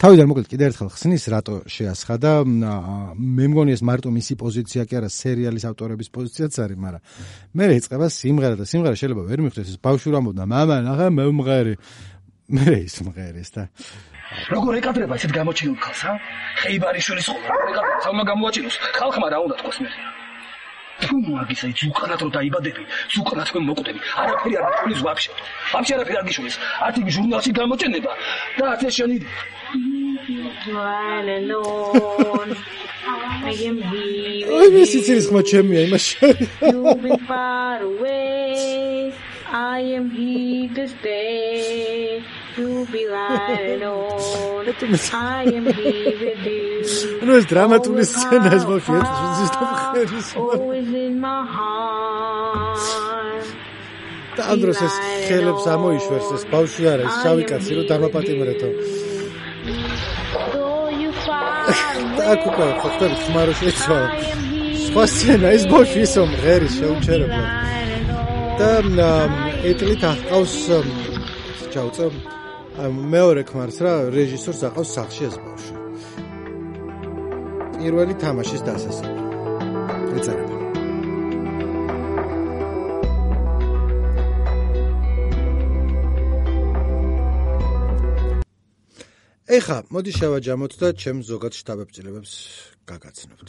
Speaker 1: თავიდან მოკლედ კიდევ ერთხელ ხსნის რატო შეასხა და მე მგონი ეს მარტო მისი პოზიცია კი არა სერიალის ავტორების პოზიციაც არის მაგრამ მე ეწყება სიმღერა და სიმღერა შეიძლება ვერ მიხვდეს ეს ბავშვი რამბობდა მამა ნახე მე მომღერი მე ის მომღერის და
Speaker 9: როგორ ეკადრება ესეთ გამოჩენილ ხალხს ხეიბარიშვილის ხოლმე ეკადრება ხალხმა გამოაჩინოს ხალხმა რა უნდა თქოს მე თუ მაგის აი ზუკანად რომ დაიბადები ზუკანად მე მოკვდები არაფერი არ გიშულის ვაფშე არაფერი არ გიშულის არც იმ ჟურნალში გამოჩენება და არც ეს შენი
Speaker 1: აი მისიც ხმა ჩემია იმაში
Speaker 4: I am here to stay. You be lying on. I am here with you.
Speaker 1: No es dramaturgi scena es bafie,
Speaker 4: always in my heart.
Speaker 1: და ამ დროს ეს ხელებს ამოიშვერს ეს ბავშვი არა ეს შავი კაცი რომ დამაპატიმრეთო. აქ უკვე ხოხტები ხმარო შეცვალა. სხვა სცენა ეს ბავშვი ისო მღერი შეუჩერებლად. და ეტლით ახავს ჩაუწე მეორე ქმარს რა რეჟისორს ახავს სახში ეს ბავშვი პირველი თამაშის დასასრული ეწერება ეხა მოდი შევაჯამოთ და ჩემს ზოგად შტაბებწილებებს გაგაცნობთ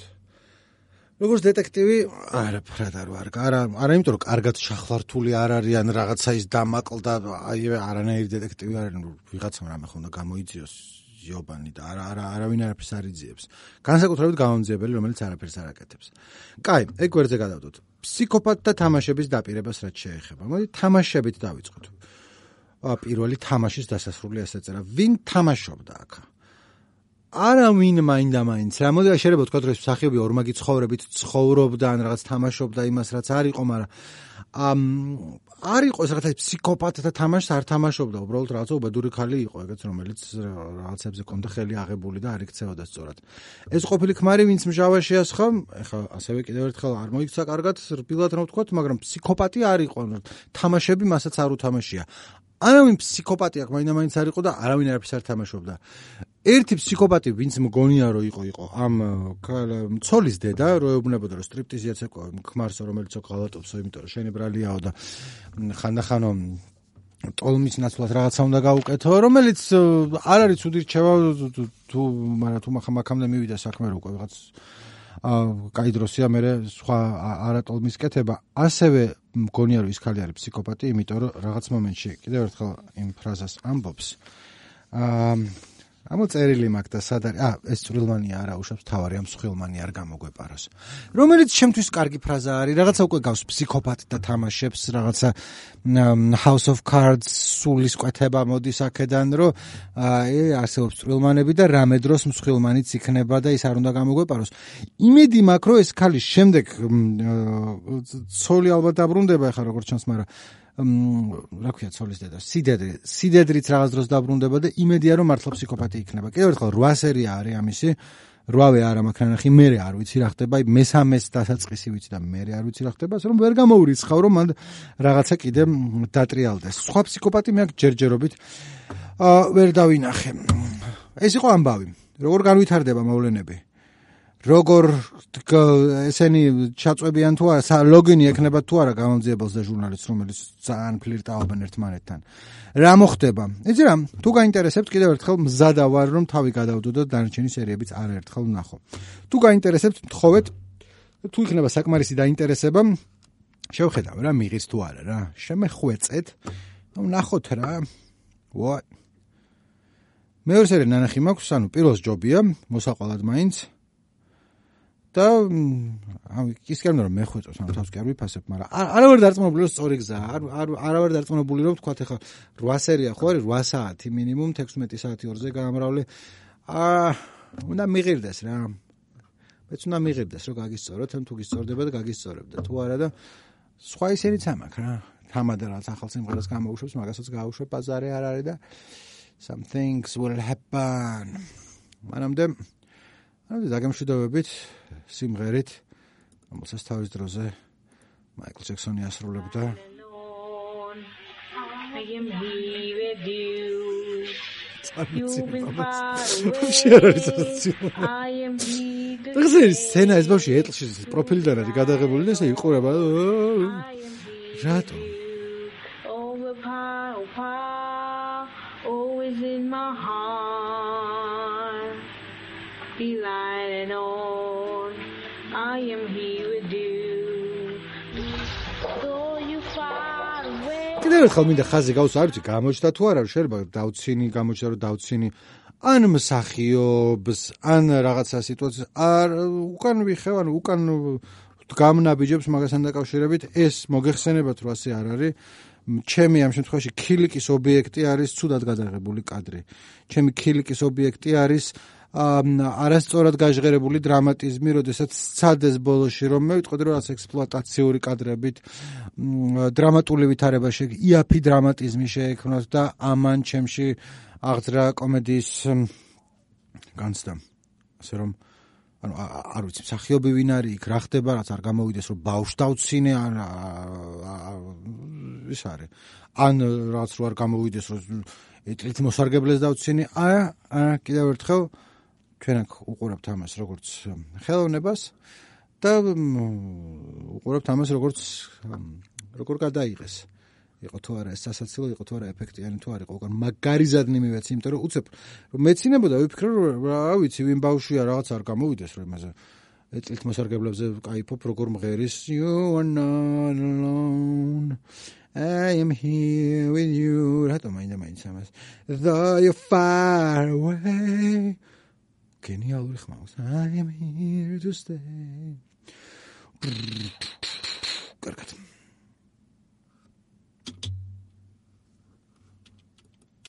Speaker 1: როგორც დეტექტივი არაფრად არა იმიტომ რომ კარგად შახვართული არ არიან რაღაცა ის დამაკლდა აი არანაირი დეტექტივი არ არის ვიღაცამ რამე ხონდა გამოიძიოს ზიობანი და არავინ არაფერს არ იძიებს განსაკუთრებით გამომძიებელი რომელიც არაფერს არ აკეთებს კაი ეგ გვერდზე გადავდოთ ფსიქოპატთა თამაშების დაპირებას რაც შეეხება მოდი თამაშებით დავიწყოთ პირველი თამაშის დასასრული ეს ეწერა ვინ თამაშობდა აქ არავინ მაინდა-მაინც რა მოდი შეიძლება ვთქვათ რომ ეს მსახიობი ორმაგი ცხოვრებით ცხოვრობდა ან რაღაც თამაშობდა იმას რაც არ იყო მაგრამ არ იყო ეს რაღაცა ფსიქოპატთა თამაშს არ თამაშობდა უბრალოდ რაღაცა უბედური ხალი იყო ეგეც რომელიც რაღაცებზე კონდა ხელი აღებული და არ იქცეოდა სწორად ეს ყოფილი ქმარი ვინც მჟავა შეასხა ეხლა ასევე კიდევ ერთხელ არ მოიქცა კარგად რბილად რა ვთქვათ მაგრამ ფსიქოპატი არ იყო თამაშები მასაც არ უთამაშია არავინ ფსიქოპატი აქ მაინდა-მაინც არ იყო და არავინ არაფერს არ თამაშობდა ერთი ფსიქოპატი ვინც მგონია რომ იყო ამ ცოლის დედა რო ეუბნებოდა რომ სტრიპტიზიაც ეკვა ქმარსო რომელიც ღალატობსო იმიტომ რომ შენი ბრალიაო და ხანდახანო ტოლმის ნაცვლად რაღაცა უნდა გაუკეთო რომელიც არ არის ცუდი რჩევა თუ მაქამდე მივიდა საქმე რო უკვე ვიღაც კაი დროსია მე სხვა არატოლმის კეთება ასევე მგონია რომ ის ხალი არის ფსიქოპატი იმიტომ რომ რაღაც მომენტში კიდევ ერთხელ იმ ფრაზას ამბობს ამოწერილი მაქვს და სად არის ეს წვრილმანია არა უშავს თავარი ამ მსხვილმანი არ გამოგვეპაროს რომელიც შემთვის კარგი ფრაზა არის რაღაცა უკვე გავს ფსიქოპატთა თამაშებს რაღაცა House of Cards სულის კვეთება მოდის აქედან რომ არსებობს წვრილმანები და რამე დროს მსხვილმანიც იქნება და ის არ უნდა გამოგვეპაროს იმედი მაქვს რომ ეს ხალი შემდეგ ცოლი ალბათ დაბრუნდება ახლა როგორც ჩანს მაგრამ რა ქვია ცოლის დედა სიდედრიც რაღაც დროს დაბრუნდება და იმედია რომ მართლა ფსიქოპატი იქნება კიდევ ერთხელ 8 სერია არის ამისი 8-ვე არა მაქვს ნახი მე არ ვიცი რა ხდება მესამეს დასაწყისი ვიცი და მე არ ვიცი რა ხდება ასე რომ ვერ გამოურიცხავ რომ მან რაღაცა კიდე დატრიალდეს სხვა ფსიქოპატი მე აქ ჯერჯერობით ვერ დავინახე ეს იყო ამბავი როგორ განვითარდება მოვლენები როგორ ესენი ჩაწვევიან თუ არა ლოგინი ექნება თუ არა გამომძიებელს და ჟურნალისტს რომელიც ძალიან ფლირტაობენ ერთმანეთთან რა მოხდება იცი რა თუ გაინტერესებთ კიდევ ერთხელ მზადა ვარ რომ თავი გადავდო და დანარჩენი სერიებიც არაერთხელ ვნახო თუ გაინტერესებთ მთხოვეთ თუ იქნება საკმარისი დაინტერესება შევხედავ რა მიღიც თუ არა რა შემეხვეწეთ ვნახოთ რა what მეორე სერია ნანახი მაქვს ანუ პირველს ჯობია მოსაყვალად მაინც და ის კი არ უნდა რომ მეხვეწოს ანუ თავს კი არ ვიფასებ მაგრამ არავარ დარწმუნებული რომ სწორი გზაა არავარ დარწმუნებული რომ თქვათ ახლა 8 სერია ხო არის 8 საათი მინიმუმ 16 საათი ორზე გამრავლე უნდა მიღირდეს რა მეც უნდა მიღირდეს რომ გაგისწოროთ თუ გისწორდება და გაგისწორებდა თუ არა და სხვა ისენიც ამაქვს რა თამადა რაც ახალ სიმღერას გამოუშვებს, მაგასაც გაუშვებ, ბაზარი არ არის და some things will happen. მანამდე დაგემშვიდობებით სიმღერით, რომელსაც თავის დროზე მაიკლ ჯექსონი ასრულებდა.
Speaker 4: I am here with you. You've been far away. I am here.
Speaker 1: ეს სცენა ეს ბავშვი ეტლში პროფილიდან არის გადაღებული და ესე იყურება. რატო?
Speaker 4: Always in my heart. Be lighting on. I am here with you. Though you far away.
Speaker 1: კიდევ ერთხელ მინდა ხაზი გავუსვა, არ ვიცი გამოჩნდა თუ არა, შეიძლება დავცინი, გამოჩნდა რომ დავცინი. ან მსახიობს, ან რაღაცა სიტუაცია, არ უკან ვიხევ, უკან გამნაბიჯებს მაგასთან დაკავშირებით, ეს მოგეხსენებათ რომ ასე არ არის. ჩემი ამ შემთხვევაში ქილიკის ობიექტი არის ცუდად გადაღებული კადრი. ჩემი ქილიკის ობიექტი არის არასწორად გაჟღერებული დრამატიზმი, როდესაც სცადეს ბოლოში რომ მე ვიტყოდი რომ რაღაც ექსპლუატაციური კადრებით დრამატული ვითარება იაფი დრამატიზმი შეექმნათ და ამან ჩემში აღძრა კომედიის განცდა. ასე რომ ანუ არ ვიცი მსახიობი ვინ არის იქ რა ხდება რაც არ გამოვიდეს რომ ბავშვს დავცინე ან ის არის ან რაც რო არ გამოვიდეს რომ ეტლით მოსარგებლეს დავცინე კიდევ ერთხელ ჩვენ აქ უყურებთ ამას როგორც ხელოვნებას და უყურებთ ამას როგორ გადაიღეს იყო თუ არა ეს სასაცილო იყო თუ არა ეფექტიანი თუ არ იყო უკან მაგარიზადნი მივეცი იმიტომ რომ უცებ რომ მეცინებოდა ვიფიქრე რომ რა ვიცი ვინ ბავშვია რაღაც არ გამოვიდეს რომ იმაზე ეტლით მოსარგებლებზე კაიფობ როგორ მღერის you are not alone I am here with you რატო მაინც ამას though you're far away გენიალური ხმავს I am here to stay კარგად